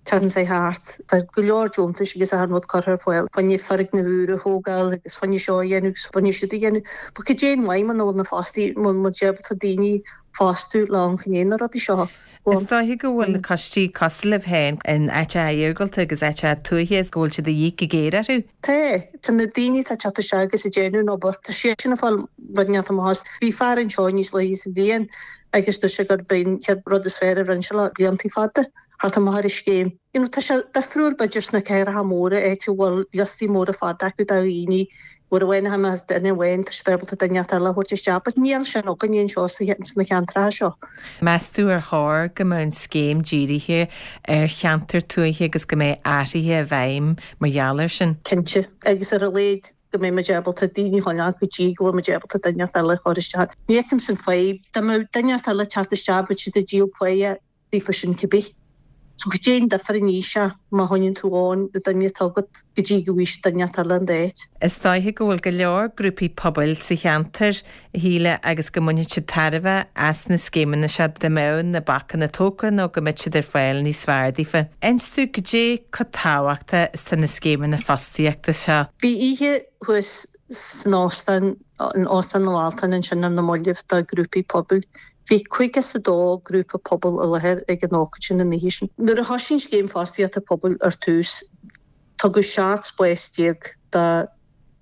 tseachtain seo thart. Tá go leor deontais agus achan rud curtha ar fáil fá choinne foirgnimh úr a thógáil agus fá choinne seo a dhéanamh agus fá choinne siúd a dhéanamh. But cad é an mhaith muna bhfuil na fostaí, muna bhfuil muid ábalta daoine fostú le amharc i ndiaidh na rudaí seo. Is dóiche go bhfuil na coistí cosúil libh féin in áiteacha iargúlta agus áiteacha tuaithe is go bhfuil siad de dhíth go géar orthu. Tá. Tá na daoine atá ag teacht isteach agus ag déanamh an obair, tá siadsan ag fáil rud inteacht amach as. Bhí fear anseo níos luaithe sa bhliain agus dúirt sé gurb é an chéad rud is fearr a rinne sé le blianta fada theacht amach ar an scéim. You know, tá sé difriúil b'fhéidir sna cathracha móra áit a bhfuil liostaí móra fada acu de dhaoine uair amháin a tháinig as duine amháin tá siad ábalta duine eile a thabhairt isteach, but níl sin againne anseo sna ceantracha seo. Meas tú ar chóir go mbeadh an scéim dírithe ar cheantair tuaithe agus go mbeadh athruithe i bhfeidhm mar gheall air sin? Cinnte, agus ar a laghad go mbeidh muid ábalta daoine a choinneáil go dtí go bhfuil muid ábalta duine eile a chur isteach. Ní fheicimse an fadhb, dá mbeadh duine eile ag teacht isteach bheadh siad ag díol páighe daofa sin cibé. So cad é an difear an í seo má choinníonn tú ann na duine atá agat go dtí go bhfaighidh duine eile an d'áit. Is dóiche go bhfuil go leor grúpaí pobail sa cheantar, a Shíle, agus go mbainfidh siad tairbhe as na scéimeanna seo dá mbeadh na bacanna tógtha nó go mbeadh siad ar fáil níos fearr daofa. Inis domh cad é chomh tábhachtach is atá na scéimeanna fostaíochta seo. Bhí oíche thuas san óstán, in Óstán na bhFáltán ansin ar na mallaibh do ghrúpaí pobail. Bhí caoga is a dó grúpa pobail i láthair ag an ócáid sin an oíche sin. Nuair a thosaigh an Scéim Fostaíochta Pobail ar tús, tugadh seacht spás déag do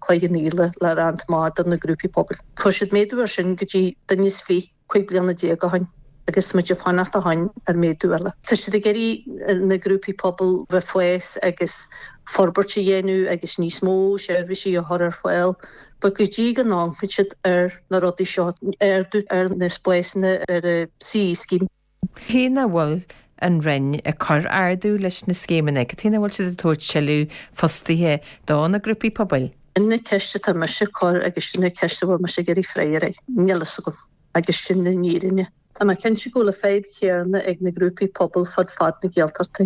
Chloich Cheann Fhaola le roinnt maith do na grúpaí pobail. Fuair siad méadú air sin go dtí duine is fiche cúig bliana déag ó shin agus tá muid ag fanacht ó shin ar méadú eile. Tá siad ag iarraidh na grúpaí pobail bheith fás agus forbairt a dhéanamh agus níos mó seirbhísí a chur ar fáil, but go dtí go n-amharcann siad ar na rudaí seo, ardú ar na spásanna ar an CE scheme. Cé nach bhfuil an Roinn ag cur ardú leis na scéimeanna, cad chuige nach bhfuil siad ag tabhairt tuilleadh fostaithe do na grúpaí pobail? Sin an ceist atá mise ag cur agus sin an ceist a bhfuil mise ag iarraidh freagra air. Níl fhios agam agus sin an fhírinne. Tá mé cinnte go bhfuil an fadhb chéanna ag na grúpaí pobail fud fad na Gaeltachta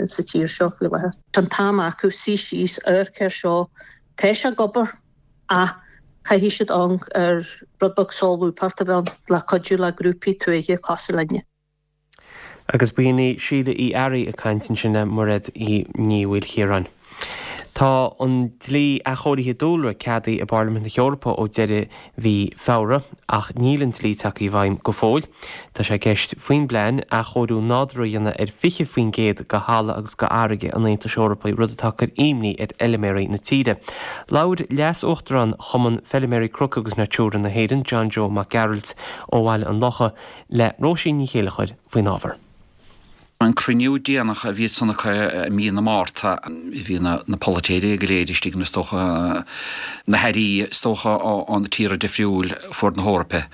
sa tír seo faoi láthair. Tá an t-am acu suí síos amharc air seo, tá sé ag obair ach caithfidh siad amharc ar rud beag solúbthacht a bheith ann le cuidiú le grúpaí tuaithe cosúil linne. Agus b'in í Síle Uí Fhearraigh ag caint ansin le Mairéad Ní Mhaoilchiaráin. Tá an dlí athchóirithe dúlra ceadaithe i bParlaimint na hEorpa ó deireadh mhí Feabhra, ach níl an dlí tagtha i bhfeidhm go fóill. Tá sé i gceist faoin bplean athchóiriú nádúrtha a dhéanamh ar fiche faoin gcéad de thalamh agus de fharraige an Aontais Eorpaigh, rud atá ag cur imní ar fheilméaraí na tíre. Labhair Leas-Uachtarán Chumann Feilméaraí Cnoc agus Natura na hÉireann, John Joe Mac Gearailt ó Bhaile an Locha, le Róisín Ní Chéilleachair faoin ábhar. An cruinniú déanach a bhí san acu i mí na Márta, bhí na polaiteoirí go léir istigh is dócha na hairí is dócha ó na tíortha difriúil fuaid na hEorpa.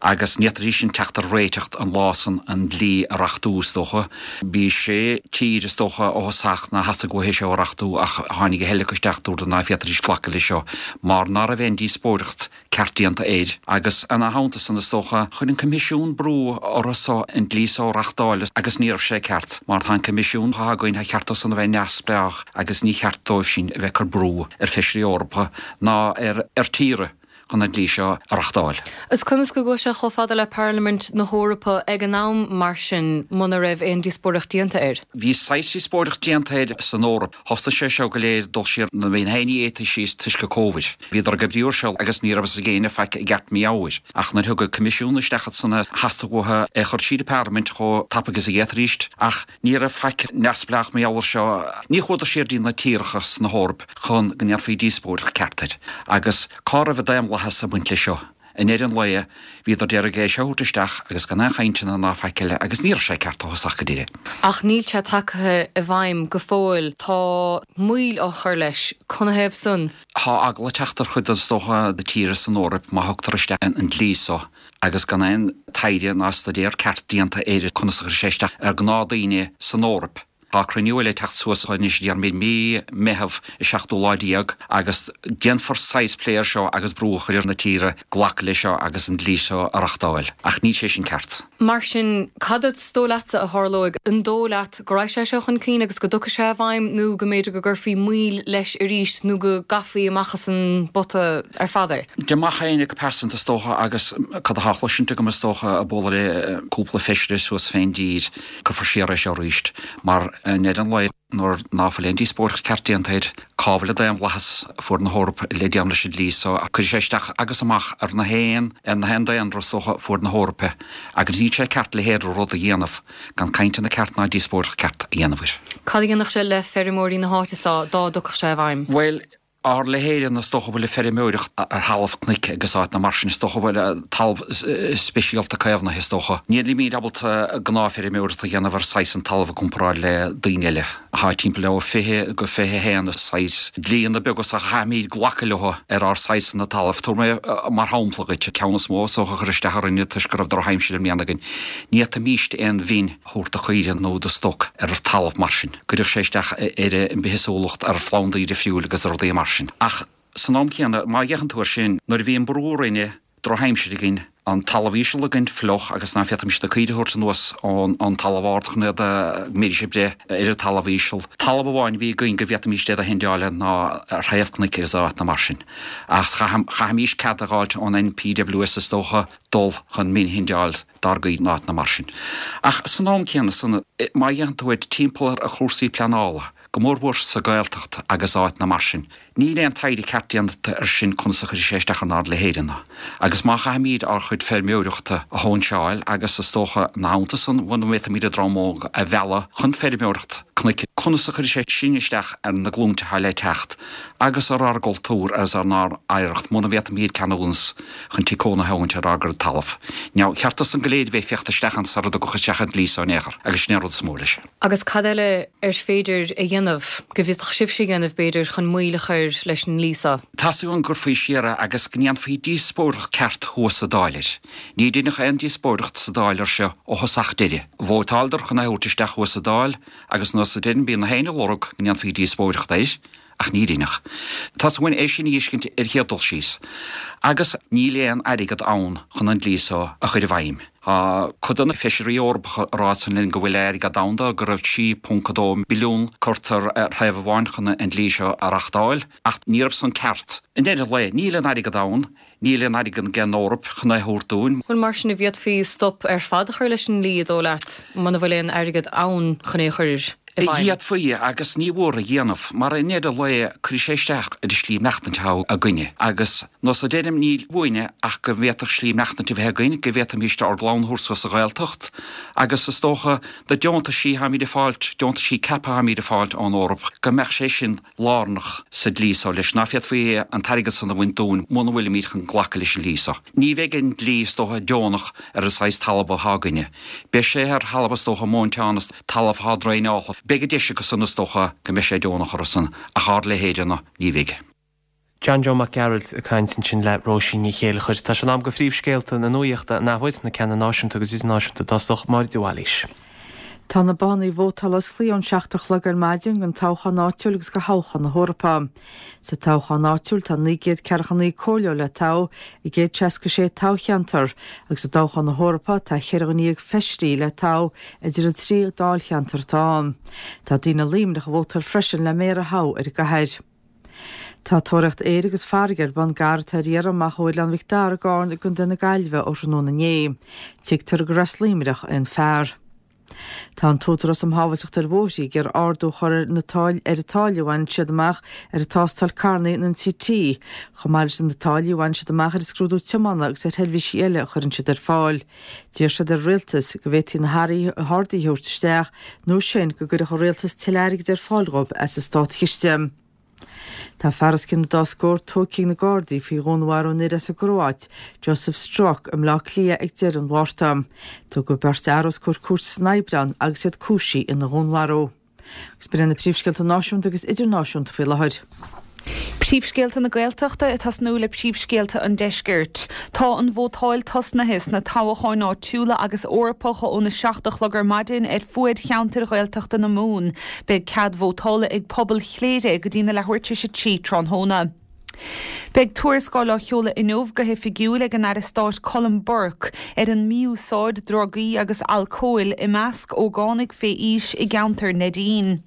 Agus ní fhéadfaidís sin teacht ar réiteach an lá san an dlí a reachtú is dócha. Bhí sé tír is dócha ó thosach nár theastaigh uathu é seo a reachtú ach tháinig a thuilleadh acu isteach dúradar ná féadfaidís glacadh leis seo mar ná raibh aon díospóireacht ceart déanta air. Agus ina theannta san is dócha, chuir an Coimisiún brú orthu so an dlí so a reachtáil agus ní raibh sé ceart, mar tá an Coimisiún atá againn tá cheart dó san a bheith neamhspleách agus ní cheart dóibh sin a bheith ag cur brú ar feisirí Eorpacha ná ar ar tíortha chun an dlí seo a reachtáil. Is conas go gcuaigh sé chomh fada le Parlaimint na hEorpa ag an am mar sin muna raibh aon díospóireacht déanta air? Bhí saghas díospóireacht déanta air san Eoraip. Thosaigh sé seo go léir dul siar na bhí na héinní éataí síos toisc Covid. Bhíodar ag oibriú air seo agus ní raibh a fhios ag éinne faic i gceart mar gheall air. Ach nuair thug an Coimisiún isteach san theastaigh uathu é a chur tríd an Parlaimint chomh tapaidh is a d'fhéadfaidís ach ní raibh faic neamhspleách mar gheall air seo. Ní chuadar siar dtí na tíortha sna hEoraip chun go ndéanfaí díospóireacht ceart air. Agus cá raibh an daonlathas ag baint leis seo? I ndeireadh an lae, bhíodar d'iarraidh é seo a thabhairt isteach agus gan aon chainteanna ná faic eile agus ní raibh sé ceart ó thosach go deireadh. Ach níl sé tagtha i bhfeidhm go fóill. Tá moill á chur leis. Canathaobh san? Tá eagla ag teacht ar chuid is dócha de tíortha san Eoraip má thugtar isteach an dlí so agus gan aon taighde ná staidéar ceart déanta air conas a chuirfidh sé isteach ar ghnáthdaoine san Eoraip. Tá cruinniú eile ag teacht suas anois déarfaimid mí Meitheamh an seachtú lá déag agus déanfar saghas plé air seo agus brú a chur ar na tíre glacadh leis seo agus an dlí seo a reachtáil. Ach níl sé sin ceart. Mar sin, cad is dóigh leatsa a tharlóidh? An dóigh leat go raghaidh sé seo chun cinn agus go dtiocfaidh sé i bhfeidhm nó go mb'fhéidir go gcuirfí moill leis arís nó go gcaithfí amach as an bpota ar fad é? Dá mbeadh éinne go pearsanta is dócha agus cad atá cloisinte agam is dócha ag bualadh le cúpla feisire suas fén dtír, cuirfear siar é seo arís mar i ndeireadh an lae nuair ná fuil aon díospóireacht ceart déanta air, cá bhfuil an daonlathas fuair na hEorpa le déanamh leis an dlí so, cuirfidh sé isteach agus amach ar na haon ar na haon daonra is dócha fuair na hEorpa agus níl sé ceart a leithéid de rud a dhéanamh gan cainteanna ceart ná díospóireacht ceart a dhéanamh air. Cad a dhéanfadh sé le feirmeoirí na háite so dá dtiocfadh sé i bhfeidhm? Bhuel, ár leithéide is dócha bhfuil ag feirmeoireacht ar thalamh cnoic agus áiteanna mar sin, is dócha bhfuil talamh speisialta caomhnaithe, is dócha. Nílimid ábalta gnáthfheirmeoireacht a dhéanamh ar saghas an talamh i gcomparáid le daoine eile. Tá timpeall le fiche go fiche a haon saghas dlíonna beaga so a chaithfimid glacadh leo ar ár saghasanna talaimh. Tabharfaidh mé mar shampla dhuit, ceann is mó is dócha a chuir isteach orainne toisc go raibh drochaimsir i mbliana againn. Ní fhéadfaimíst aon mhin a thabhairt do chaoire nó do stoc ar talamh mar sin. Cuirfeadh sé isteach ar an bithéagsúlacht, ar phlandaí difriúil agus ar rudaí mar sin. Ach san am céanna, má fhéachann tú air sin, nuair a bhí an brú orainne, drochaimsir againn, an talamh íseal againn fliuch agus ná féadfaimis na caoirigh a thabhairt anuas ón talamh ard chun iad a go mbeidís ag breith ar an talamh íseal. Talamh amháin a bhí againn go bhféadfaimis iad a shendeáil ná ar thaobh cnoic agus áiteanna mar sin. Ach chaithfimís cead a dh'fháilt ón NPWS is dócha dul chun min a shendeáil dár gcaoirigh in áiteanna mar sin. Ach san am céanna san, má fhéachann tú air timpeall ar chúrsaí pleanála, go mórmhór sa Ghaeltacht agus áiteanna mar sin. Níl aon taighde ceart déanta air sin conas a chuirfidh sé isteach ar ár leithéideanna. Agus má chaithfimid ár chuid feirmeoireachta a shóinseáil agus is dócha ina theannta san muna bhféadfaimid an dream óg a mhealladh chun feirmeoireacht cnoic, conas a chuirfidh sé sin isteach ar na glúinte atá le teacht agus ar ár gcultúr agus ar ár n-oidhreacht muna bhféadfaimid ceadúnas chun tigh cónaithe a thógaint ar ár gcuid talamh. Now, cheart san go léir a bheith féachta isteach ann sara dtiocfadh isteach an dlí so in aon chor agus sin é an rud is mó leis. Agus cad eile ar féidir a dhéanamh, go bhféadfadh sibhse a dhéanamh, b'fhéidir, chun moill a chur leis an ndlí seo? Teastaíonn uainn go gcuirfí siar é agus go ndéanfaí díospóireacht ceart thuas sa Dáil air. Ní deineadh aon díospóireacht sa Dáil air seo ó thosach deireadh. Vótáileadar chun é a thabhairt isteach thuas sa Dáil agus nós a deirim bíonn na héinne ag lorg go ndéanfaí díospóireacht air. Ach ní rinneadh. Teastaíonn uainn é sin a fheiscint ar chéad dul síos. Agus níl aon airgead ann chun an dlí so a chur i bhfeidhm. Tá cuid de na feisirí Eorpacha ag rá san linn go bhfuil airgead ann dó, go raibh trí ponc a dó billiún curtha ar thaobh amháin chun an dlí seo a reachtáil, ach ní raibh san ceart. I ndeireadh an lae, níl aon airgead ann, níl aon airgead ag an Eoraip chun é a thabhairt dúinn. Bhuel, mar sin, an bhféadfaí stop ar fad a chur leis an ndlí, an dóigh leat, muna bhfuil aon airgead ann chun é a chur i bhfeidhm? D'fhéadfaí, agus ní mhór a dhéanamh, mar i ndeireadh an lae cuirfidh sé isteach ar an slí maireachtaint atá againne, agus nós a deirim, níl uainne ach go bhféadfadh slí maireachtaint a bheith againn, go bhféadfaimíst ár gclann a thabhairt suas sa Ghaeltacht, agus is dócha na deontaisí atáimid ag fáilt, deontaisí CAP atáimid ag fáilt ón Eoraip, go mbeadh sé sin lárnach sa dlí so leis, ná féadfaí an t-airgead san a bhaint dúinn muna bhfuilimíd chun glacadh leis an dlí so. Ní bheidh an dlí is dócha deonach ar an saghas talamh athá againne. Beidh sé ar thalamh is dócha móinteán is talamh athá draenáilte. Beidh an deis acu san is dócha go mbeidh sé deonach orthu san, ach ár leithéide-na, ní bheidh. John Joe Mac Gearailt ag caint ansin le Róisín Ní Chéilleachair. Tá sé in am do phríomhscéalta na nuachta an athuair, na ceanna náisiúnta agus idirnáisiúnta i dtosach, Máire de Bhailís. Tá na bothanna vótála osclaithe ón seacht a chlog ar maidin don toghchán áitiúil agus do thoghchán na hEorpa. Sa toghchán áitiúil tá naoi gcéad ceathracha naoi comhairleoir le toghadh i gcéad seasca sé toghcheantar agus i dtoghchán na hEorpa tá ceithre dhuine dhéag feisirí le toghadh idir an trí dáilcheantar atá ann. Tá daoine i Luimneach ag vótáil freisin le méara a thoghadh ar an gcathair. Tá tóraíocht aeir agus farraige ar bun d'fhear atá ar iarraidh amach ó Oileán Mhic Dara i gCarna i gContae na Gaillimhe ó thráthnóna inné. Tuigtear gur as Luimneach é an fear. Tá an tÚdarás um Shábháilteacht ar Bhóithre ag iarraidh ardú a chur ar na táillí ar an táille a bhaineann siad amach ar an tástáil carranna an NCT, chomh maith leis na táillí a bhaineann siad amach ar an scrúdú tiomána agus ar sheirbhísí eile a chuireann siad ar fáil. D'iarr siad ar an Rialtas go bhféadfaí na harduithe a thabhairt isteach nó sin go gcuirfeadh an Rialtas tuilleadh airgid ar fáil dhóibh as an státchiste. Tá fear os cionn an dá scór tógtha ag na Gardaí faoi dhúnmharú an fhir as an gCróit, Josip Strok, i mBleá Cliath ag deireadh an Mhárta. Tugadh beirt fhear os comhair cúirte san Aibreán agus iad cúisithe ina dhúnmharú. Agus b'in iad na príomhscéalta náisiúnta agus idirnáisiúnta faoi láthair. Príomhscéalta na Gaeltachta ag tosnú le príomhscéalta an Deiscirt. Tá an vótáil tosnaithe sna toghcháin áitiúla agus Eorpacha óna seacht a chlog ar maidin ar fuaid cheantair Ghaeltachta na Mumhan. Beidh cead vótála ag pobal Chléire go dtí na leathuair tar éis a trí tráthnóna. Beidh tuarascáil á sheoladh inniu go hoifigiúil ag an Aire Stáit Colm Burke ar an mí-úsáid drugaí agus alcóil i measc ógánaigh fé aois i gceantar Neidín.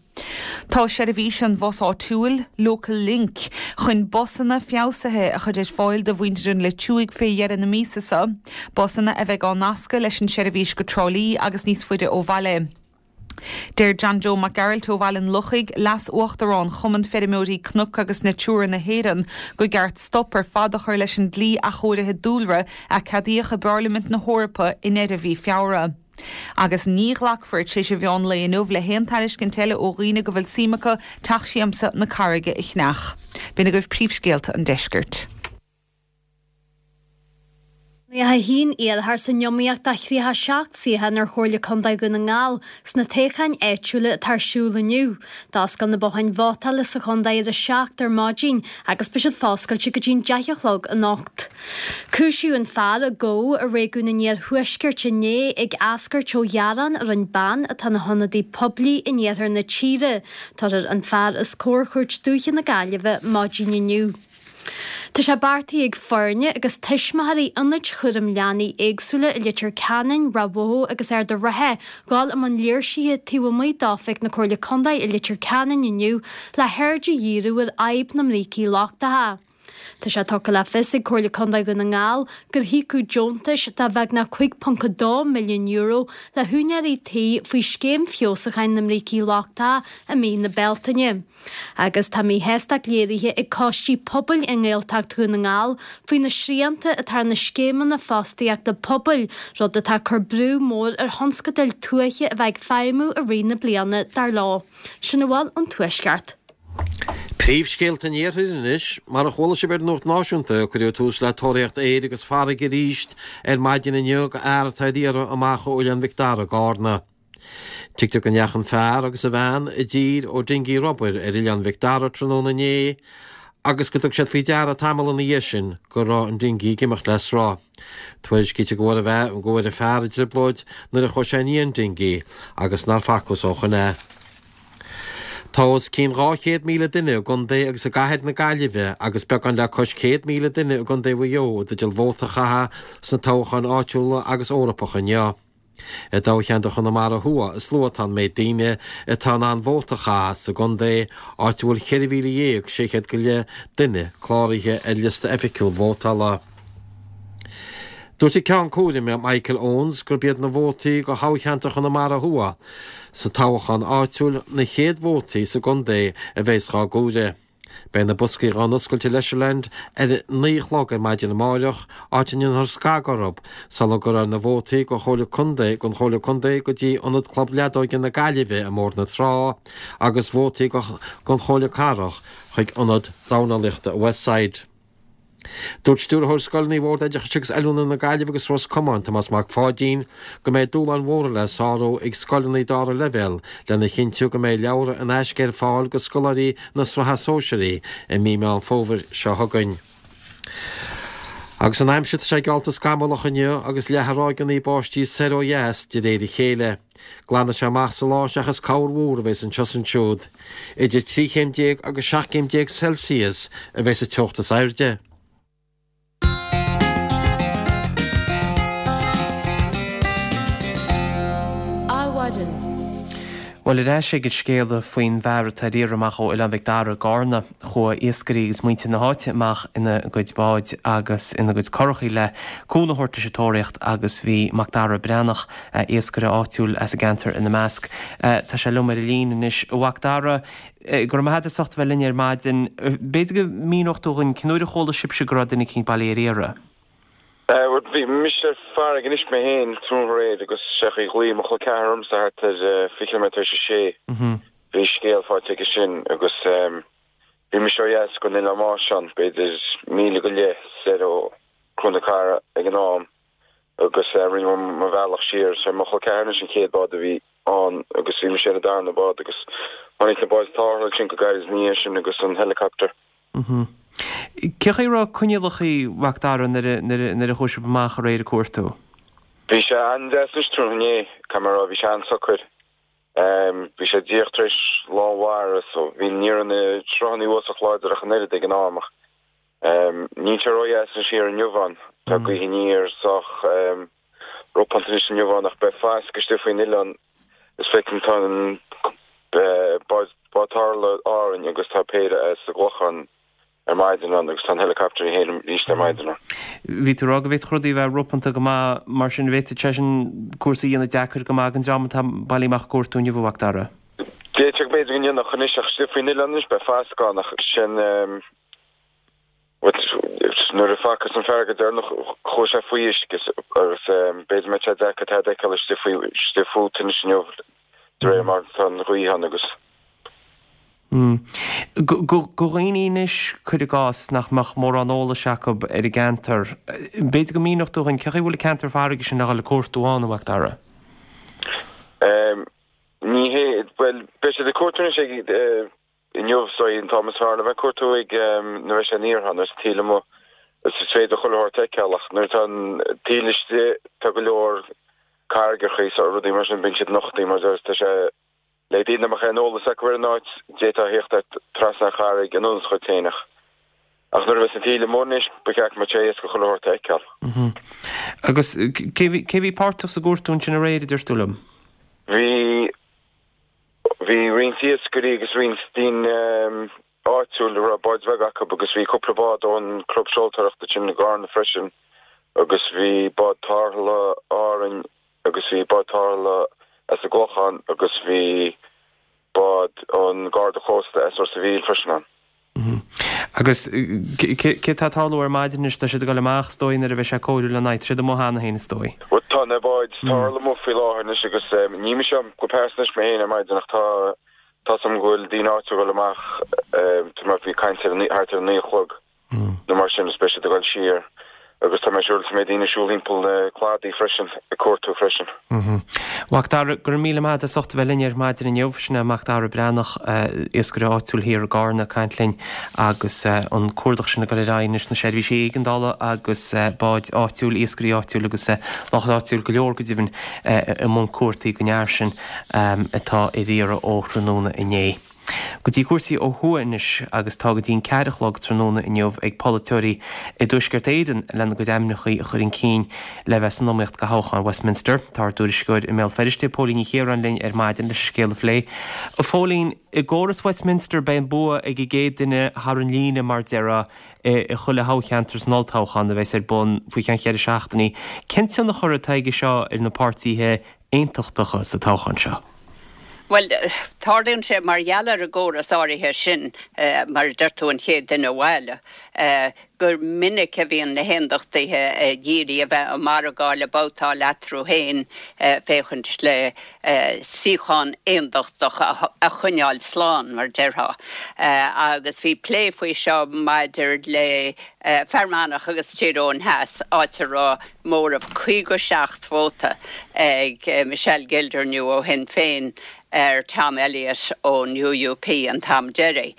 Tá seirbhís an bhus áitiúil, Local Link, chun busanna feabhsaithe a chur ar fáil do mhuintir an Leitriúigh fé dheireadh na míosa seo, busanna a bheidh á nascadh leis an seirbhís go Trá Lí agus níos faide ó bhaile. Deir John Joe Mac Gearailt ó Bhaile an Lochaigh, Leas-Uachtarán Chumann Feirmeoirí Cnoc agus Natura na hÉireann, go gceart stop ar fad a chur leis an dlí athchóirithe dúlra a ceadaíodh i bParlaimint na hEorpa i ndeireadh mhí Feabhra. Agus ní ghlacfar tar éis an mheán lae inniu le haon tairiscint eile ó dhaoine go bhfuil suim acu Teach Siamsa na Carraige a cheannach. B'in agaibh príomhscéalta an deiscirt. Nócha a haon iarrthóir san iomaíocht do thríocha seacht suíochán ar Chomhairle Contae Dhún na nGall sna toghcháin áitiúla atá ar siúl inniu. D'oscail na botháin vótála sa chontae ar a seacht ar maidin agus beidh siad foscailte go dtí'n deich a chlog anocht. Cúisíodh an fear a gabhadh i réigiún an iarthuaiscirt inné ag eascairt ó ghearán a rinne bean atá ina hionadaí poiblí in iarthar na tíre. Tabharfar an fear os comhair Chúirt Dúiche na Gaillimhe maidin inniu. Tá sé beartaithe ag foirne agus tuismitheoirí ionaid chúram leanaí éagsúla i Leitir Ceanainn, Ráth Bhoth agus Ard an Rátha dhul i mbun léirsithe taobh amuigh d'oifig na Comhairle Contae i Leitir Ceanainn inniu le haird a dhíriú ar fhadhb na mbrící lochtacha. Tá sé tugtha le fios ag Comhairle Contae Dhún na nGall gur híocadh deontais de bheagnach cúig ponc a dó milliún euro le húinéirí tí faoi scéim feabhsúcháin na mbrící lochtacha i mí na Bealtaine. Agus tá míshástacht léirithe ag coistí pobail i nGaeltacht Dhún na nGall faoi na srianta atá ar na scéimeanna fostaíochta pobail, rud atá ag cur brú mór ar thionscadail tuaithe a bheith ag feidhmiú i rith na bliana, dar leo. Sin a bhfuil ón Tuaisceart. Príomhscéalta an Iarthair anois. Mar a chuala sibh ar an Nuacht Náisiúnta, cuireadh tús le tóraíocht aeir agus farraige arís ar maidin inniu do fhear atá ar iarraidh amach ó Oileán Mhic Dara i gCarna. Tuigtear go ndeachaigh an fear agus a bhean i dtír ó dingí rubair ar Oileán Mhic Dara tráthnóna inné agus go dtug siad faoi deara tamall ina dhiaidh sin go raibh an dingí ag imeacht le sruth. Tuairiscítear go bhfuair a go bhfuair an fear i dtrioblóid nuair a chuaigh sé i ndiaidh an dingí agus nár facthas ó shoin é. Tá os cionn dhá chéad míle duine i gcontae agus i gcathair na Gaillimhe agus beagán le cois céad míle duine i gcontae Mhaigh Eo i dteideal vóta a chaitheamh sna toghcháin áitiúla agus Eorpacha inniu. I dtoghcheantar Chonamara Thuaidh is lú atá an méid daoine atá in ann vóta a chaitheamh sa gcontae, áit a bhfuil ceithre mhíle dhéag sé chéad go leith duine cláraithe ar liosta oifigiúil vótála. Dúirt an Ceann Cúraim, Michael Owens, gurb iad na vótaí do thoghcheantar Chonamara Thuaidh sa toghchán áitiúil na chéad vótaí sa gcontae a bheas dhá gcomhaireamh. Beidh na boscaí dhá n-oscailt i Leisureland ar a naoi a chlog ar maidin amáireach, áit a ndéanfar scagadh orthu sula gcuirfear na vótaí go Chomhairle Contae don Chomhairle Contae go dtí Ionad Club Leadóige na Gaillimhe i mBóthar na Trá agus vótaí don Chomhairle Cathrach chuig Ionad Dornálaíochta Westside. Dúirt Stiúrthóir Scoileanna Bhord Oideachais agus Oiliúna na Gaillimhe agus Ros Comáin, Tomás Mac Pháidín, go mbeidh dúshláin mhóra le sárú ag scoileanna dara leibhéal lena chinntiú go mbeidh leabhra in aisce ar fáil go scoláirí na Sraithe Sóisearaí i mí Meán Fómhair seo chugainn. Agus an aimsir, tá sé geallta scamallach inniu agus leathfaidh ráigeanna báistí soir ó dheas de réir a chéile. Glanfaidh sé amach sa lá seachas corrmhúr a bheas anseo is ansiúd. Idir trí chéim déag agus seacht gcéim déag Celsius a bheas an teocht is airde. Adhmhaidin. Bhuel, ar ais ag an scéala faoin bhfear atá ar iarraidh amach ó Oileán Mhic Dara i gCarna. Chuaigh iascairí agus muintir na háite amach ina gcuid báid agus ina gcuid curachaí le cúnamh a thabhairt leis an tóraíocht agus bhí Macdara Breathnach, iascaire áitiúil as an gceantar ina measc. Tá sé liom ar an líne anois. A Mhacdara, go raibh maith agat as ucht a bheith linn ar maidin. B'fhéidir go míneodh tú dhúinn cén uair a chuala sibhse go raibh duine eicínt bailithe ar iarraidh? Bhuel, bhí mise ar farraige anois mé féin tráthnóna aréir agus sé an chaoi ghlaoigh mo chol ceathar ormsa thart ar fiche nóiméad tar éis a sé. Bhí scéal faighte aige sin agus bhí mise ó dheas den Oileán Máisean, b'fhéidir míle go leith soir ó Chró na Cara ag an am agus rinne mé mo bhealach siar. Sé mo chol ceathar anois an chéad bád a bhí ann agus bhí mise ar an darna bád agus tháinig na báid tarrthála ansin go gairid ina dhiaidh sin agus an helicopter. Cén chaoi a raibh coinníollacha, a Mhac Dara, nuair a chuaigh sibh amach aréir ag cuartú? Bhí sé an-deas anois tráthnóna inné, caithfidh mé a rá, bhí sé an-socair. Bhí sé díreach tar éis lán mhara so bhí ní raibh na sruthanna sách láidir ach an oiread ag an am ach níl sé ródheas anois thiar inniu ann. Tá gaoth aniar sách ropánta anois inniu ann ach beidh fascadh istigh faoin oileán is feicim tá an bád tarrthála Árainn agus tá péire as an gClochán ar maidin ann agus tá an helicopter féin arís ar maidin ann. Bhí tú ag rá go bhféadfadh rudaí a bheith ropánta go maith mar sin, bhféadfadh sé sin cúrsaí a dhéanamh deacair go maith don dream atá bailithe amach ag cuartú inniu, a Mhac Dara. D'fhéadfadh b'fhéidir go ndéanfadh anois ach istigh faoin oileán anois beidh fascadh ann ach sin nuair a facthas an fear go deireanach chuaigh sé faoi uisce agus b'fhéidir go mbeidh sé deacair tada a fheiceáil istigh faoi istigh fút anois inniu de réir mar tá an ghaoth ann agus. Do dhaoine anois, cuir i gcás, nach mbeadh mórán eolais acu ar an gceantar, b'fhéidir go míneodh tú dhúinn cén chaoi a bhfuil an ceantar farraige sin le dhul ag cuartú ann, a Mhac Dara? Ní hé, bhuel, beidh siad ag cuartú anois ag inniu, so an t-am is fearr le bheith ag cuartú ag nuair a bheidh sé aniar ann, nuair atá an taoille amuigh, is is féidir chuile shórt a fheiceáil ach nuair atá an taoille istigh tá go leor carraigeacha is rudaí mar sin, bíonn siad nochtaí mar tá sé Le daoine nach mbeadh aon eolas acu ar an áit, d'fhéadfá a theacht ar trasna an charraig anuas dhuit féin ach ach nuair a bheas an taoille amuigh anois, ba cheart go mbeadh sé éasca chuile shórt a fheiceáil. Agus cé bhí cé bhí páirteach sa gcuartú ansin aréir, a deir tú liom? Bhí bhí roinnt iascairí agus roinnt daoine áitiúil a raibh báid bheaga acu agus bhí cúpla bád ón gclub seoltóireachta sin i gCarna freisin agus bhí bád tarrthála Árainn agus bhí bád tarrthála as an gClochán agus bhí bád ón Garda Cósta as Ros a' Mhíl freisin ann. Agus cé tá ag tarlú ar maidin anois? Tá siad ag dul amach is dóigh nuair a bheidh sé cóiriúil lena aghaidh. Tá siad amuigh cheana féin is dóigh. Bhuel tá na báid tarrthála amuigh faoi láthair anois agus ní mise go pearsanta anois mé féin ar maidin ach tá tá 's agam go bhfuil daoine áitiúil ag dul amach tá mé bhí caint ar thart ar a naoi a chlog. nó mar sin is beidh siad ag dul siar agus tá mé siúr go mbeidh daoine ag siúl thimpeall na cladaí freisin ag cuartú freisin. Macdara, go raibh míle maith agat as ucht a bheith linn ar maidin inniu. Sin é Macdara Breathnach, iascaire áitiúil thiar i gCarna ag caint linn agus an cuardach sin ag dul ar aghaidh anois, na seirbhísí éigeandála agus báid áitiúil, iascairí áitiúil agus lucht áitiúil go leor go deimhin i mbun cuartaigh don fhear sin atá ar iarraidh ó thráthnóna inné. Go dtí cúrsaí ó thuaidh anois agus tá go dtí an ceathair a chlog tráthnóna inniu ag polaiteoirí i dTuaisceart Éireann lena gcuid ainmneacha a chur chun cinn le bheith san iomaíocht do thoghchán Westminster. Tá ár dtuairisceoir i mBéal Feirste, Póilín Ní Chiaráin linn ar maidin leis an scéal a phlé. A Phóilín, i gcóras Westminster beidh an bua ag an gcéad duine thar an líne mar déarfá i chuile thoghcheantar san olltoghchán a bheas ar bun faoi cheann cheithre seachtainí. Cén tionchar atá aige seo ar na páirtithe aontachtacha sa toghchán seo? Bhuel, tarlaíonn sé mar gheall ar an gcóras áirithe sin, mar a deir tú, an chéad duine abhaile, gur minic a bhíonn na hAondachtaithe ag iarraidh a bheith ag margáil, ag babhtáil eatarthu féin féachaint le suíochán aondachtach a choinneáil slán, mar a déarfá. Agus bhí plé faoi seo maidir le Fear Manach agus Tír Eoghain Theas, áit a raibh móramh caoga seacht vóta ag Michelle Gildernew ó Shinn Féin ar Tom Elliott ón UUP an t-am deiridh.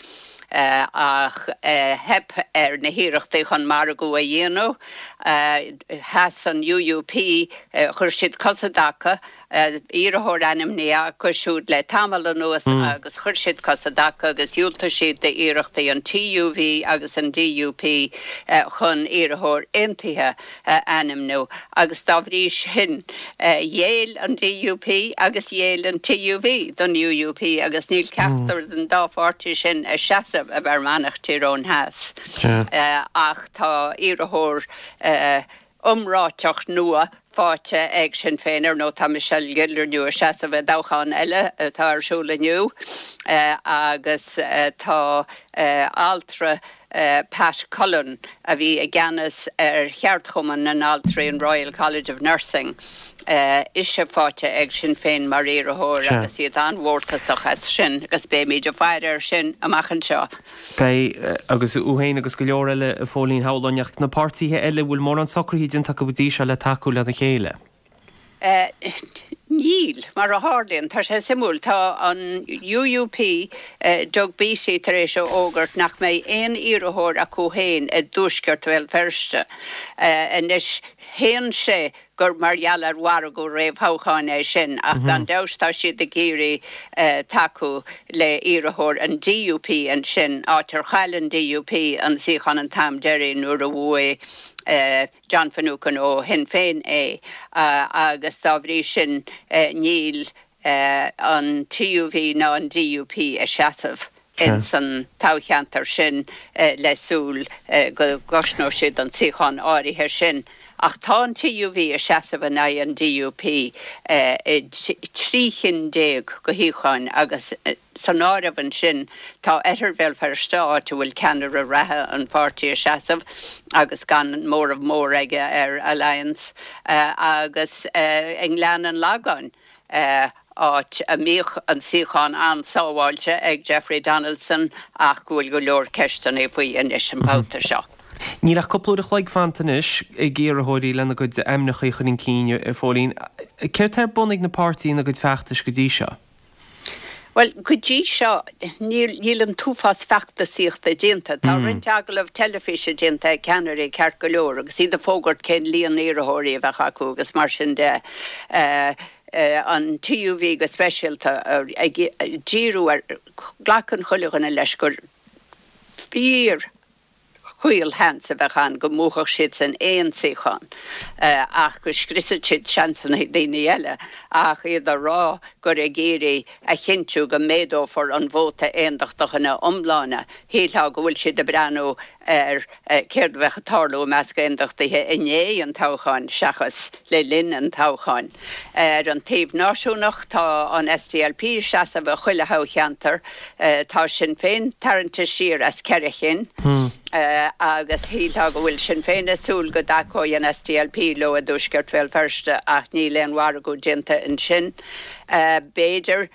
Ach theip ar na hiarrachtaí chun margadh a dhéanamh. Sheas an UUP, chuir siad cos i dtaca, iarrthóir ainmnithe acu siúd le tamall anuas agus chuir siad cos i dtaca agus dhiúltaigh siad d'iarrachtaí an TUV agus an DUP chun iarrthóir aontaithe a ainmniú agus dá bhrí sin ghéill an DUP agus ghéill an TUV don UUP agus níl ceachtar den dá pháirtí sin ag seasamh i bhFear Manach Tír Eoghain Theas ach tá iarrthóir iomráiteach nua faighte ag Sinn Féin. Ar ndóigh, tá Michelle Gildernew ag seasamh i dtoghchán eile atá ar siúl inniu agus tá altra Pat Cullen, a bhí i gceannas ar cheardchumann na n-altraí, an Royal College of Nursing, ise faighte ag Sinn Féin mar iarrthóir agus iad an-mhórtasach as sin agus beimid ag faire air sin amach anseo. Beidh, agus thú féin agus go leor eile, a Phóilín, shamhlóinn, ach na páirtithe eile, bhfuil mórán socruithe déanta acu go dtí seo le tacú lena chéile? Níl, mar a tharlaíonn, tá sé suimiúil, tá an U U P, Doug Beattie, tar éis a fhógairt nach mbeidh aon iarrthóir acu féin i dtuaisceart Bhéal Feirste. Anois, shéan sé gur mar gheall ar mhargadh réamhthoghcháin é sin, ach gan dabht tá siad ag iarraidh tacú le iarrthóir an D U P ansin, áit ar chaill an D U P an suíochán an t-am deiridh nuair a bhuaigh John Finucane ó Shinn Féin é, agus dá bhrí sin níl an T U V ná an D U P ag seasamh ins an toghcheantar sin le súil go gcosnóidh siad an suíochán áirithe sin. Ach tá an T U V ag seasamh in aghaidh an D U P i dtrí chinn déag de shuíocháin agus san áireamh ansin tá Oirthear Bhéal Feirste, áit a bhfuil ceannaire reatha an pháirtí ag seasamh agus gan móramh mór aige ar Alliance, agus i nGleann an Lagáin, áit a mbíodh an suíochán an-sábháilte ag Jeffrey Donaldson ach go bhfuil go leor ceisteanna faoi anois an babhta seo. Níl ach cúpla uair a chloig fanta anois ag iarrthóirí lena gcuid ainmneacha a chur chun cinn, a Phóilín. Céard tá ar bun ag na páirtithe ina gcuid feachtais go dtí seo? Bhuel, go dtí seo níl níl an t-uafás feachtasaíochta déanta. Tá roinnt agallamh teilifíse déanta ag ceannairí ceart go leor agus iad ag fógairt cén líon iarrthóirí a bheadh acu agus mar sin de. An T U V go speisialta ag díriú ar glacann chuile dhuine leis gur fíor chaolsheans a bheadh ann go mbuafadh siadsan aon suíochán ach go scriosfadh siad seansanna daoine eile, ach iad a rá gur ag iarraidh a chinntiú go méadófar an vóta aondachtach ina iomláine. Shílfeá go bhfuil siad ag breathnú ar céard a bheadh ag tarlú i measc aondachtaithe i ndiaidh an toghcháin seachas le linn an toghcháin. Ar an taobh náisiúnach, tá an S D L P ag seasamh i chuile thoghcheantar. Tá Sinn Féin tarraingthe siar as ceithre chinn agus shílfeá go bhfuil Sinn Féin ag súil go dtacóidh an S D L P leo i dTuaisceart Bhéal Feirste ach níl aon mhargadh déanta ansin. B'fhéidir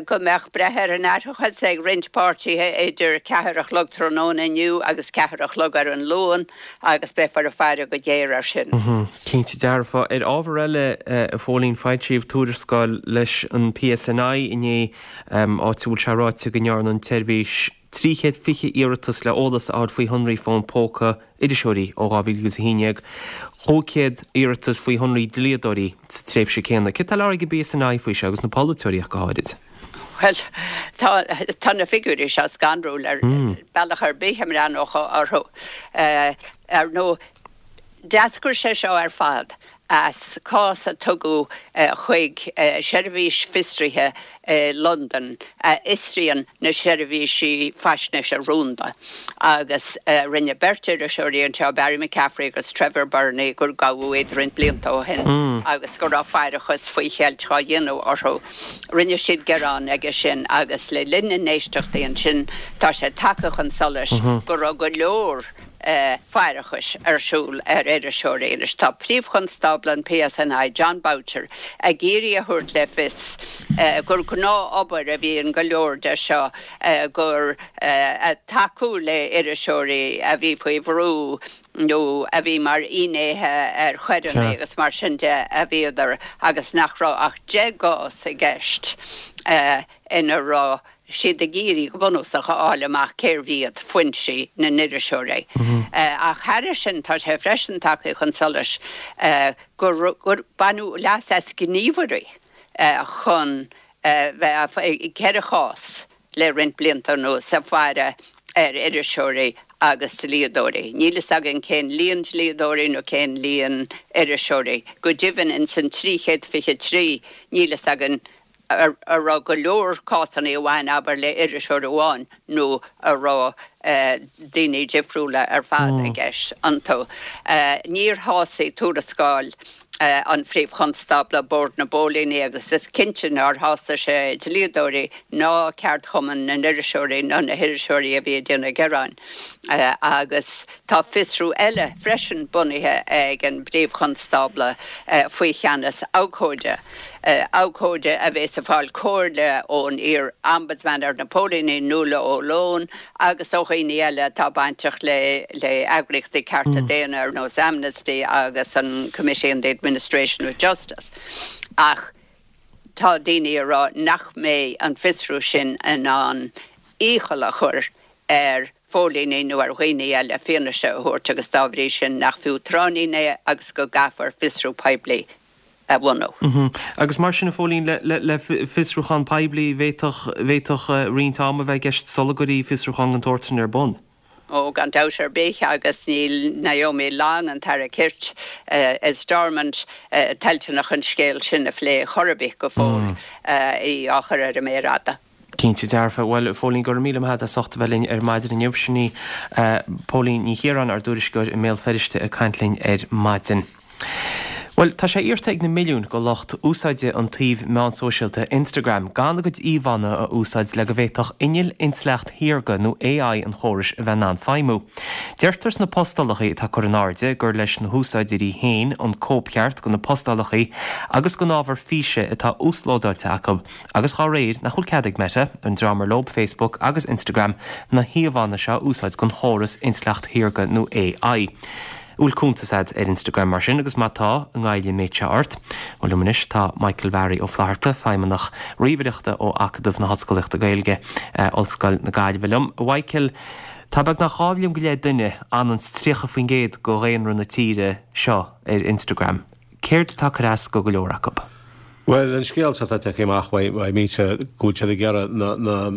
go mbeadh breith ar an aithreachas ag roinnt páirtithe idir ceathair a chlog tráthnóna inniu agus ceathair a chlog ar an Luan agus beifear ag faire go géar air sin. Cinnte dearfa. Ar ábhar eile, a Phóilín, foilsíodh tuarascáil leis an P S N I inné, áit a bhfuil sé ráite go ndearna an tseirbhís trí chéad fiche iarratas le eolas a fháil faoi shonraí fón póca iriseoirí ó dhá mhíle agus a haon déag, cúig chéad iarratas faoi shonraí dlíodóirí sa tréimhse céanna. Céard atá le rá ag an P S N I faoi seo agus na polaiteoirí ach go háirid? Bhuel, tá tá na figiúirí seo scanrúil ar bealach ar bith a mbreathnófá orthu. Ar ndóigh, d'eascair sé seo ar fad as cás a tugadh chuig seirbhís fiosraithe i Londain a fhiosraíonn na seirbhísí faisnéise rúnda agus rinne beirt iriseoirí anseo, Barry McCaffrey agus Trevor Birney, gur gabhadh iad roinnt blianta ó shin agus go raibh faireachas faoi cheilt á dhéanamh orthu. Rinne siad gearán aige sin agus le linn na n-éisteachtaí ansin tá sé tagtha chun solais go raibh go leor faireachais ar siúl ar iriseoirí. Anois tá Príomhchonstábla an P S N I, Jon Boutcher, ag iarraidh a thabhairt le fios gur gnáthobair a bhí in go leor de seo, gur tacú le iriseoirí a bhí faoi bhrú nó a bhí mar fhinnéithe ar choireanna agus mar sin de a bhíodar agus nach raibh ach deich gcás i gceist ina raibh siad ag iarraidh go bunúsach a fháil amach cérbh iad foinsí na n-iriseoirí. Ach thairis sin tá sé freisin tagtha chun solais gur gur baineadh leas as gníomhairí chun bheith i gceithre chás le roinnt blianta anuas ag faire ar iriseoirí agus dlíodóirí. Níl fhios againn cén líon dlíodóirí nó cén líon iriseoirí. Go deimhin in san trí chéad fiche trí níl fhios againn a raibh go leor cásanna a bhain, abair, le iriseoir amháin nó a raibh daoine difriúla ar fad i gceist iontu. Níor shásaigh tuarascáil an Phríomh-Chonstábla Bord na bPóilíní agus is cinnte nár shásaigh sé dlíodóirí ná ceardchumann na n-iriseoirí ná na hiriseoirí a bhí ag déanamh gearáin. Agus tá fiosrú eile freisin bunaithe ag an bPríomh-Chonstábla faoi cheannas abhcóide. Abhcóide a bheas ag fáil comhairle ón iar-Ombudsman ar na póilíní, Nuala O'Loan, agus ó dhaoine eile atá bainteach le le eagraíochtaí cearta daonna ar nós Amnesty agus an Committee on the Administration of Justice. Ach Tá daoine ag rá nach mbeidh an fiosrú sin in ann iachall a chur ar phóilíní nó ar dhaoine eile fianaise a thabhairt agus dá bhrí sin nach fiú tráithnín é agus go gcaithfear fiosrú poiblí a bhunú. Agus mar sin, a Phóilín, le fiosrúchán poiblí, bhféadfadh roinnt ama a bheith i gceist sula gcuirfí fiosrúchán den tsórt sin ar bun? Ó, gan dabht ar bith, agus níl Naomi Long, an tAire Cirt i Stormont, toilteanach an scéal sin a phlé chor ar bith go fóill, í á chur ar an méar fhada. Cinnte dearfa. Bhuel, a Phóilín, go raibh míle maith agat as ucht a bheith linn ar maidin inniu. Sin í Póilín Ní Chiaráin, ár dtuairisceoir i mBéal Feirste ag caint linn ar maidin. Bhuel, tá sé iarrta ag na milliúin de lucht úsáide an tsuímh meán sóisialta Instagram gan a gcuid íomhánna a úsáid le go bhféadfadh inneall intleacht shaorga nó AI an chórais a bheith in ann feidhmiú. Deirtear sna postálacha atá curtha in airde gur leis na húsáideoirí féin an cóipcheart do na postálacha agus don ábhar físe atá uaslódáilte acu agus dá réir nach bhfuil cead ag Meta, an dream ar leo Facebook agus Instagram, na híomhánna seo a úsáid don chóras intleacht shaorga nó AI. An bhfuil cuntas agat ar Instagram mar sin agus má tá, an ngoilleann an méid seo ort? Bhuel liom anois tá Michael Bharry Ó Flatharta, Feidhmeannach Ríomhaireachta ó Acadamh na hOllscolaíochta Gaeilge, Ollscoil na Gaillimhe liom. A Mhichael, tá beagnach dhá mhilliún go leith duine, ionann is tríocha faoin gcéad de dhaonra na tíre seo ar Instagram. Céard atá ag cur as go go leor acu? Bhuel, an scéal seo atá tagtha amach uaidh Meta go bhfuil siad ag iarraidh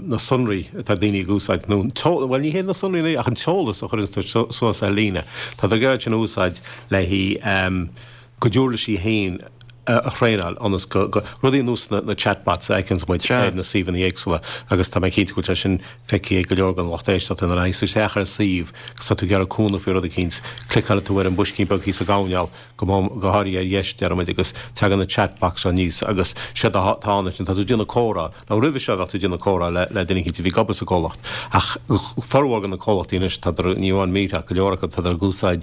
na sonraí atá daoine ag úsáid, nó, bhuel, ní hé na sonraí ach an t-eolas a chuireann tú suas ar líne, tá siad ag iarraidh sin a úsáid le a gcuid uirlisí féin a thraenáil ionas go, rudaí ar nós na chatbots a fheiceanns muid ar na suíomhanna éagsúla agus tá mé cinnte go bhfuil sé sin feicthe ag go leor den lucht éisteachta nuair a théanns tú isteach ar suíomh agus tá tú ag iarraidh cúnamh faoi rud eicínt, cliceálann tú ar an boiscín beag thíos sa gcoirnéal go go háirithe ar dheis, deir muid, agus tagann na chatbots seo aníos agus séard atá ann ansin, tá tú ag déanamh comhrá. Now roimhe seo bheadh tú ag déanamh comhrá le le duine eicínt a bhí ag obair sa gcomhlacht ach formhór de na comhlachtaí anois, tádar, ní amháin Meta ach go leor acu, tádar ag úsáid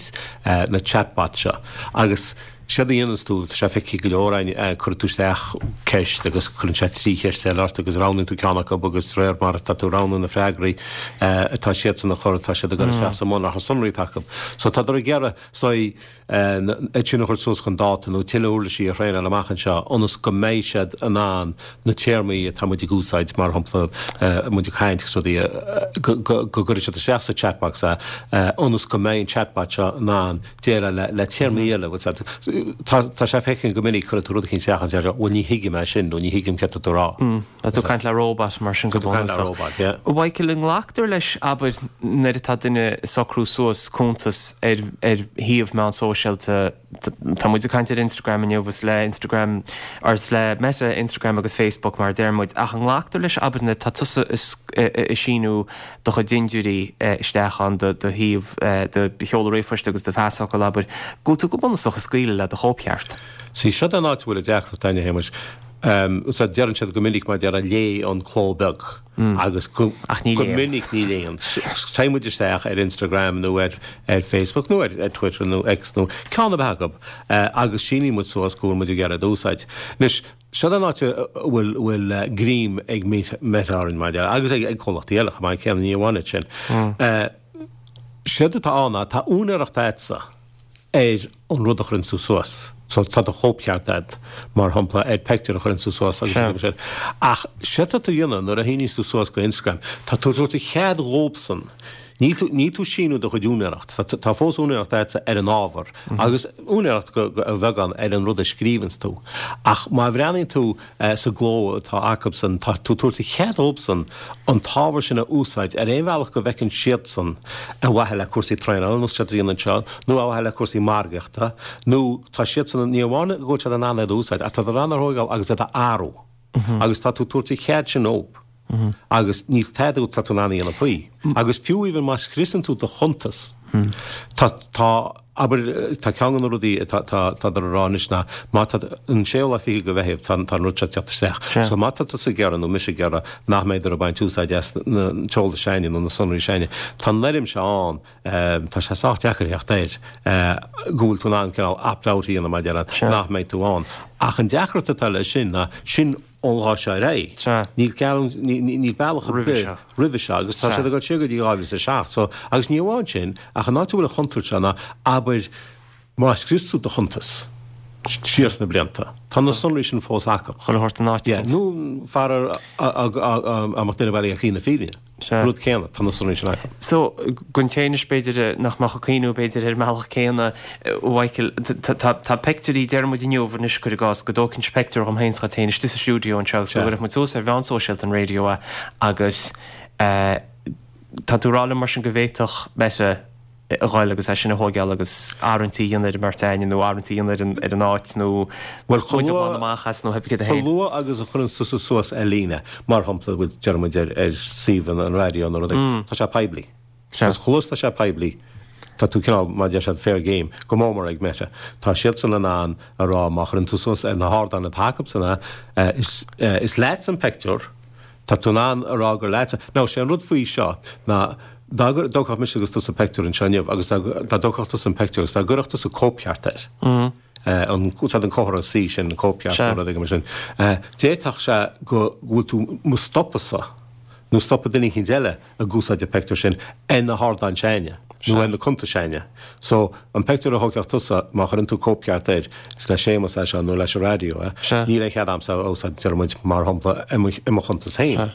na chatbots seo agus séard a dhéananns tú, tá sé feicthe ag go leor againn, cuireann tú isteach ceist agus cuireann sé trí cheist eile ort agus roghnaíonn tú ceann acu agus de réir mar atá tú ag roghnú na freagraí atá siadsan a chur, tá siad ag cur isteach sa mbunachar sonraí atá acu. So tádar ag iarraidh, so, iad sin a chur suas chun dáta nó tuilleadh uirlisí a thraenáil amach anseo ionas go mbeidh siad in ann na téarmaí atá muid ag úsáid, mar shampla, muid ag caint agus rudaí, go gcuirfidh siad isteach sa chatbox é ionas go mbeidh an chatbot seo in ann déileáil le téarmaí eile. Tá tá sé feicthe go minic, cuireann tú rud eicínt isteach agus deir sé, bhuel ní thuigim é sin nó ní thuigim céard atá tú a rá. Tá tú ag caint le róbat mar sin go bunúsach. A Mhichael, an nglactar leis, abair, nuair atá duine ag socrú suas cuntas ar ar shuíomh meán sóisialta, tá muid ag caint ar Instagram inniu, is le Instagram, or is le Meta, Instagram agus Facebook mar a deir muid, ach an nglactar leis, abair, nuair atá tusa ag síniú do chuid dintiúirí isteach ann, do shuíomh, do sheoladh ríomhphoist agus do phasfhocal, abair, go bhfuil tú go bunúsach ag scaoileadh le do chóipcheart? Sea, seo an áit a bhfuil an deacracht againn, a Shéamais. Deireann siad go minic mar déarfá léigh an cló beag agus go minic ní léann. Téann muid isteach ar Instagram nó ar ar Facebook nó ar Twitter nó X nó ceann ar bith acu agus síníonn muid suas go bhfuil muid ag iarraidh iad a úsáid. Anois, seo an áit a bhfuil bhfuil greim ag Meta orainn mar déarfá agus ag comhlachtaí eile chomh maith céanna, ní amháin iad sin. Séard atá ann ná tá úinéireacht agatsa ar an rud a chuireann tú suas. So tá do chóipcheart agat, mar shampla, ar pictiúr a chuireann tú suas agus rudaí mar sin. Ach séard atá tú a dhéanamh nuair a shíníos tú suas go Instagram, tá tú ag tabhairt cead dhóibhsan. Níl tú, níl tú ag síniú do chuid úinéireacht. Tá, tá fós úinéireacht agatsa ar an ábhar agus úinéireacht go, go, a bheagán ar an rud a scríobhanns tú. Ach má bhreathnaíonn tú sa gcló atá acubsan, tá tú ag tabhairt cead dhóibhsan an t-ábhar sin a úsáid ar aon bhealach go bhfeiceann siadsan ar mhaithe le cúrsaí traenála, nós siad a dhéanamh anseo, nó ar mhaithe le cúrsaí margaíochta, nó tá siadsan, ní amháin go bhfuil siad in ann iad a úsáid, ach tá siad in ann a thógáil agus iad a athrú. Agus tá tú ag tabhairt an chead sin dóibh. Agus níl tada atá tú in ann a dhéanamh faoi. Agus fiú even má scriosann tú do chuntas, tá, tá, abair, tá ceann de na rudaí atá, tá, tádar a rá anois ná má tá, an séú lá fichead de Mheitheamh, tá, tá an rud seo ag teacht isteach. So má tá tusa ag iarraidh nó mise ag iarraidh nach mbeidh ag baint úsáid as na, an t-eolas s'againne nó na sonraí s'againne, tá an fhoirm seo ann, tá sé sách deacair theacht air, go bhfuil tú in ann cineál opt-out a dhéanamh mar a déarfá, nach mbeidh tú ann. Ach an deacracht atá leis sin ná sin ón lá seo ar aghaidh. Níl geall, níl bealach ar bith roimhe seo agus tá siad ag dul siar go dtí dhá mhíle is a seacht. So, agus ní amháin sin, ach an áit a bhfuil an chontúirt seo ná, abair, má scrios tú do chuntas, siar sna blianta. Tá na sonraí sin fós acu. Chuile shórt in áit. Yeah, nó fear a mbeadh duine bailí a chlí na fírinne. Rud céanna, tá na sonraí sin acu. So, don té anois b'fhéidir nach mbeadh ag cuimhniú b'fhéidir ar an mbealach céanna, Mhichael, tá peictiúirí, deir muid inniu anois cuir i gcás, go dtógfainnse peictiúr dhom féin 's dhuit féin istigh sa stiúideo anseo agus go gcuirfeadh muid suas ar mheán sóisialta an raidió é agus tá tú ag rá liom mar sin go bhféadfadh Meta a ghoil agus é sin a thóigeáil agus arraingtí a dhéanamh ar an mbeirt againne nó arraingtí a dhéanamh ar an áit nó Bhuel, chomh muid a luath, ghlanadh amach as nó theip céad a chomh haon. luath agus a chuireann tusa suas ar líne, mar shampla, bhuel, deir muid ar, ar suíomh an raidió nó rud éigin, tá sé poiblí. Sea. Agus chomh luath is tá sé poiblí, tá tú cineál, mar a deir siad, fair game, go mór mór ag Meta. Tá siadsan in ann a rá má chuireann tú suas ar na hardáin atá acusan é, is, is leatsa an pictiúr, Tá tú in ann a rá gur leatsa. Now, sé an rud faoi seo ná dá dtógfadh mise agus tusa pictiúr anseo inniu agus dá dtógfadh tusa an pictiúr agus dá gcuirfeadh tusa cóipcheart air, an, úsáid an comhartha C sin, an cóipcheart nó rud éigin mar sin, d'fhéadfadh sé go bhfuil tú mo stopadh-sa nó stopadh duine eicínt eile ag úsáid an pictiúr sin ar na hardáin s'againne nó ar na cuntais s'againne. So, an pictiúr a thógfadh tusa, má chuireann tú cóipcheart air, is le Séamus é seo nó leis an raidió é, níl aon chead a'msa é a úsáid, deir muid, mar shampla, i mo, i mo chuntas féin.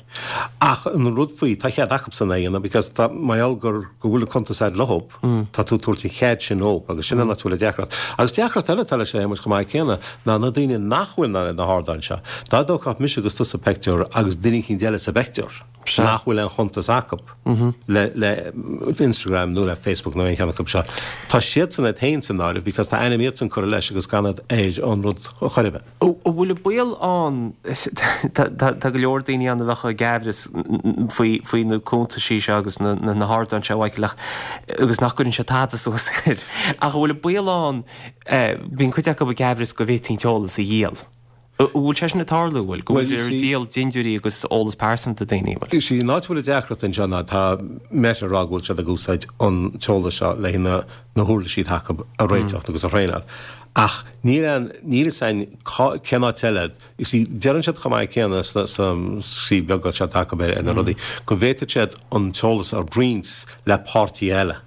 Ach an rud faoi, tá cead acubsan é a dhéanamh because tá, mar gheall gur, go bhfuil an cuntas a'd leob, tá tú ag tabhairt an chead sin dhób agus sin an áit a bhfuil an deacracht. Agus deacracht eile atá leis a Shéamuis chomh maith céanna ná na daoine nach bhfuil ar na hardáin seo. Dá dtógfadh mise agus tusa pictiúr agus duine eicínt eile sa bpictiúr, nach bhfuil aon chuntas acu le le Instagram nó le Facebook nó aon cheann acu seo. Tá siadsan iad féin san áireamh because tá ainm iadsan curtha leis agus gan iad ar an rud chor ar bith. An bhfuil an baol ann, tá go leor daoine ann a bheadh ag aimhreas faoi faoi na cuntaisí seo agus na na hardáin seo Mhichael ach agus nach gcuireann siad tada suas air. Ach an bhfuil an baol ann, bíonn cuid acu ag aimhreas go bhféadfaí an t-eolas a dhíol. An bhfuil sé sin ag tarlú, an bhfuil? Go Bhuel, bhfuil you ag see, díol dintiúirí agus eolas pearsanta daoine, an bhfuil? You see, an áit a bhfuil an deacracht anseo ná tá Meta ag rá go bhfuil siad ag úsáid an t-eolas seo le na na huirlisí atá acu a réiteach agus a thraenáil. Ach níl aon, níl fhios a'inn cá, cén áit eile, you see, deireann siad chomh maith céanna sna, sa suíomh beag seo atá acu ar, ar na rudaí, go bhféadfaidh siad an t-eolas a roinnt le páirtí eile.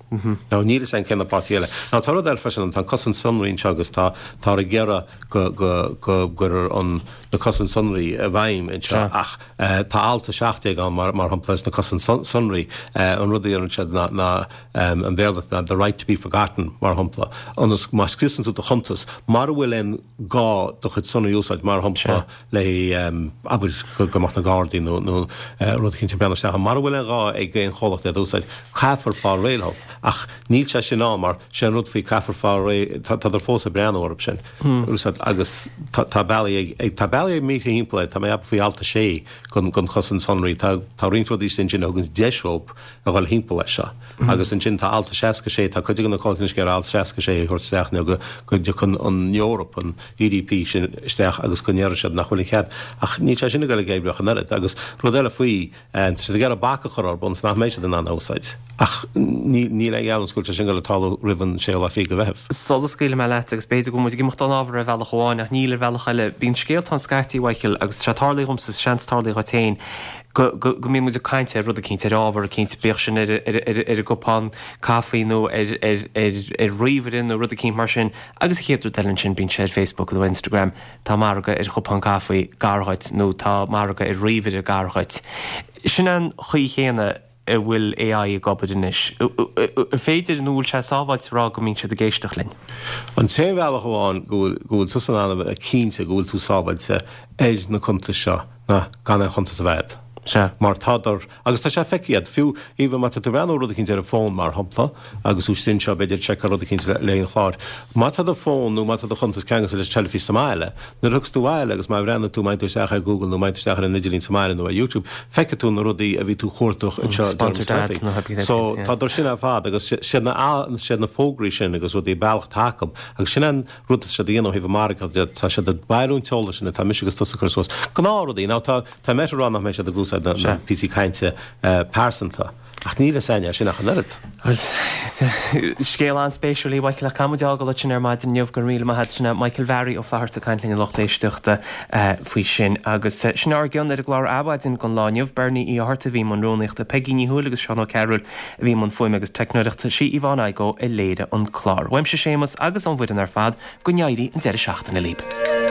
Now níl fhios a'inn cé na páirtí eile. Now tá rud eile freisin ann, tá an cosaint sonraí anseo agus tá, táthar ag iarraidh go, go, go gcuirfear an, na cosaint sonraí i bhfeidhm anseo ach eh tá alt a seacht déag ann mar, mar shampla sna cosaint sonraí, eh an rud a deireann siad ná, ná em an Béarla ná the right to be forgotten mar shampla, ionas má scriosann tú do chuntas, mara bhfuil aon gá do chuid sonraí a úsáid mar shampla le em abair go, go mbeadh na Gardaí nó, nó eh rud eicínt ag breathnú isteach ann, mara bhfuil aon ghá ag aon chomhlacht iad a úsáid, caithfear fáil réidh leo. Ach níl sé sin ann mar sé an rud faoi caithfear fáil réidh, tádar fós ag breathnú orthu sin agus tá bealaí ag, ag, tá bealaí ag Meta thimpeall air, tá mé ag ceapadh faoi alt a sé den, den chosaint sonraí, tá, tá roinnt rudaí istigh ansin a thuganns deis dhób a dhul thimpeall leis seo. Agus ansin tá alt a seasca sé, tá cuid de na comhlachtaí anois ag iarraidh alt seasca sé a thabhairt isteach nó go, go dtiocfaidh an Eoraip, an E D P sin isteach agus go ndéarfaidh siad nach bhfuil an cead. Ach níl sé sin ag dul ag oibriú ach an oiread. Agus rud eile faoi, Tá siad ag iarraidh bac a chur orthu ionas nach mbeidh siad in ann a úsáid. Ach níl aon gheallúint go bhfuil sé sin ag dul ag tarlú roimh an séú lá fichead de Mheitheamh. Sula scaoilfidh mé leat, agus b'fhéidir go bhfuil muid ag imeacht ón ábhar ar bhealach amháin ach níl ar bhealach eile, bíonn scéalta ann scaití, a Mhichael, agus tá sé tarlaithe dhomsa, seans tarlaithe dhuit féin, go go go mbíonn muid ag caint ar rud eicínt, ar ábhar eicínt, bíodh sin ar ar ar ar an gcupán caife nó ar ar ar ar ríomhaire nó rud eicínt mar sin, agus an chéad rud eile ansin bíonn sé ar Facebook nó Instagram, tá margadh ar chupán caife gar dhuit nó tá margadh ar ríomhaire gar dhuit. Sin an chaoi chéanna a bhfuil A I ag obair anois. An féidir nó bhfuil sé sábháilte a rá go mbíonn siad ag éisteacht linn? An t-aon bhealach amháin go bhfuil go bhfuil tusa in ann a bheith cinnte go bhfuil tú sábháilte ar na cuntais seo ná gan aon chuntas a bheith agat. Sea. Mar tádar, agus tá sé feicthe agat, fiú even má tá tú ag breathnú rud eicínt ar an bhfón mar shampla, agus tú istigh anseo b'fhéidir ag seiceáil rud eicínt le le an chláir, má tá do fón nó má tá do chuntas ceangailte leis an teilifís sa mbaile, nuair a thiocfas tú abhaile agus má bhreathnaíonn tú, má théann tú isteach ar Google nó má théann tú isteach ar an idirlíon sa mbaile nó ar YouTube, feicfidh tú na rudaí a bhí tú chuartach anseo Sponsored ads nó theip So tádar sin ar fad agus siad na siad na fógraí sin agus rudaí bealach atá acu agus sin an rud atá siad a dhéanamh ó thaobh an margadh de, tá siad ag bailiú an t-eolas sin atá mise agus tusa ag cur suas. Gnáthrudaí. Now tá Tá Meta ag rá nach mbeidh siad ag úsáid na píosaí cainte pearsanta. Ach níl a fhios againn é sin ach an oiread. Bhuel, scéal an-spéisiúil é Michael ach caithfidh muid a fhágáil ansin ar maidin inniu go raibh míle maith agat sin é Michael Bharry Ó Flatharta ag caint linn a lucht éisteachta faoi sin. Agus sin ár gcion ar an gclár Adhmhaidin don lá inniu. Bernie Uí Fhátharta a bhí i mbun rúnaíochta, Peigí Ní Thuathail agus Seán Ó Cearúil a bhí i mbun fuaime agus teicneoireachta, sí Yvonne Igoe a léirigh an clár. Uaimse Séamus agus ón bhfoireann ar fad, go n-éirí an deireadh seachtaine libh.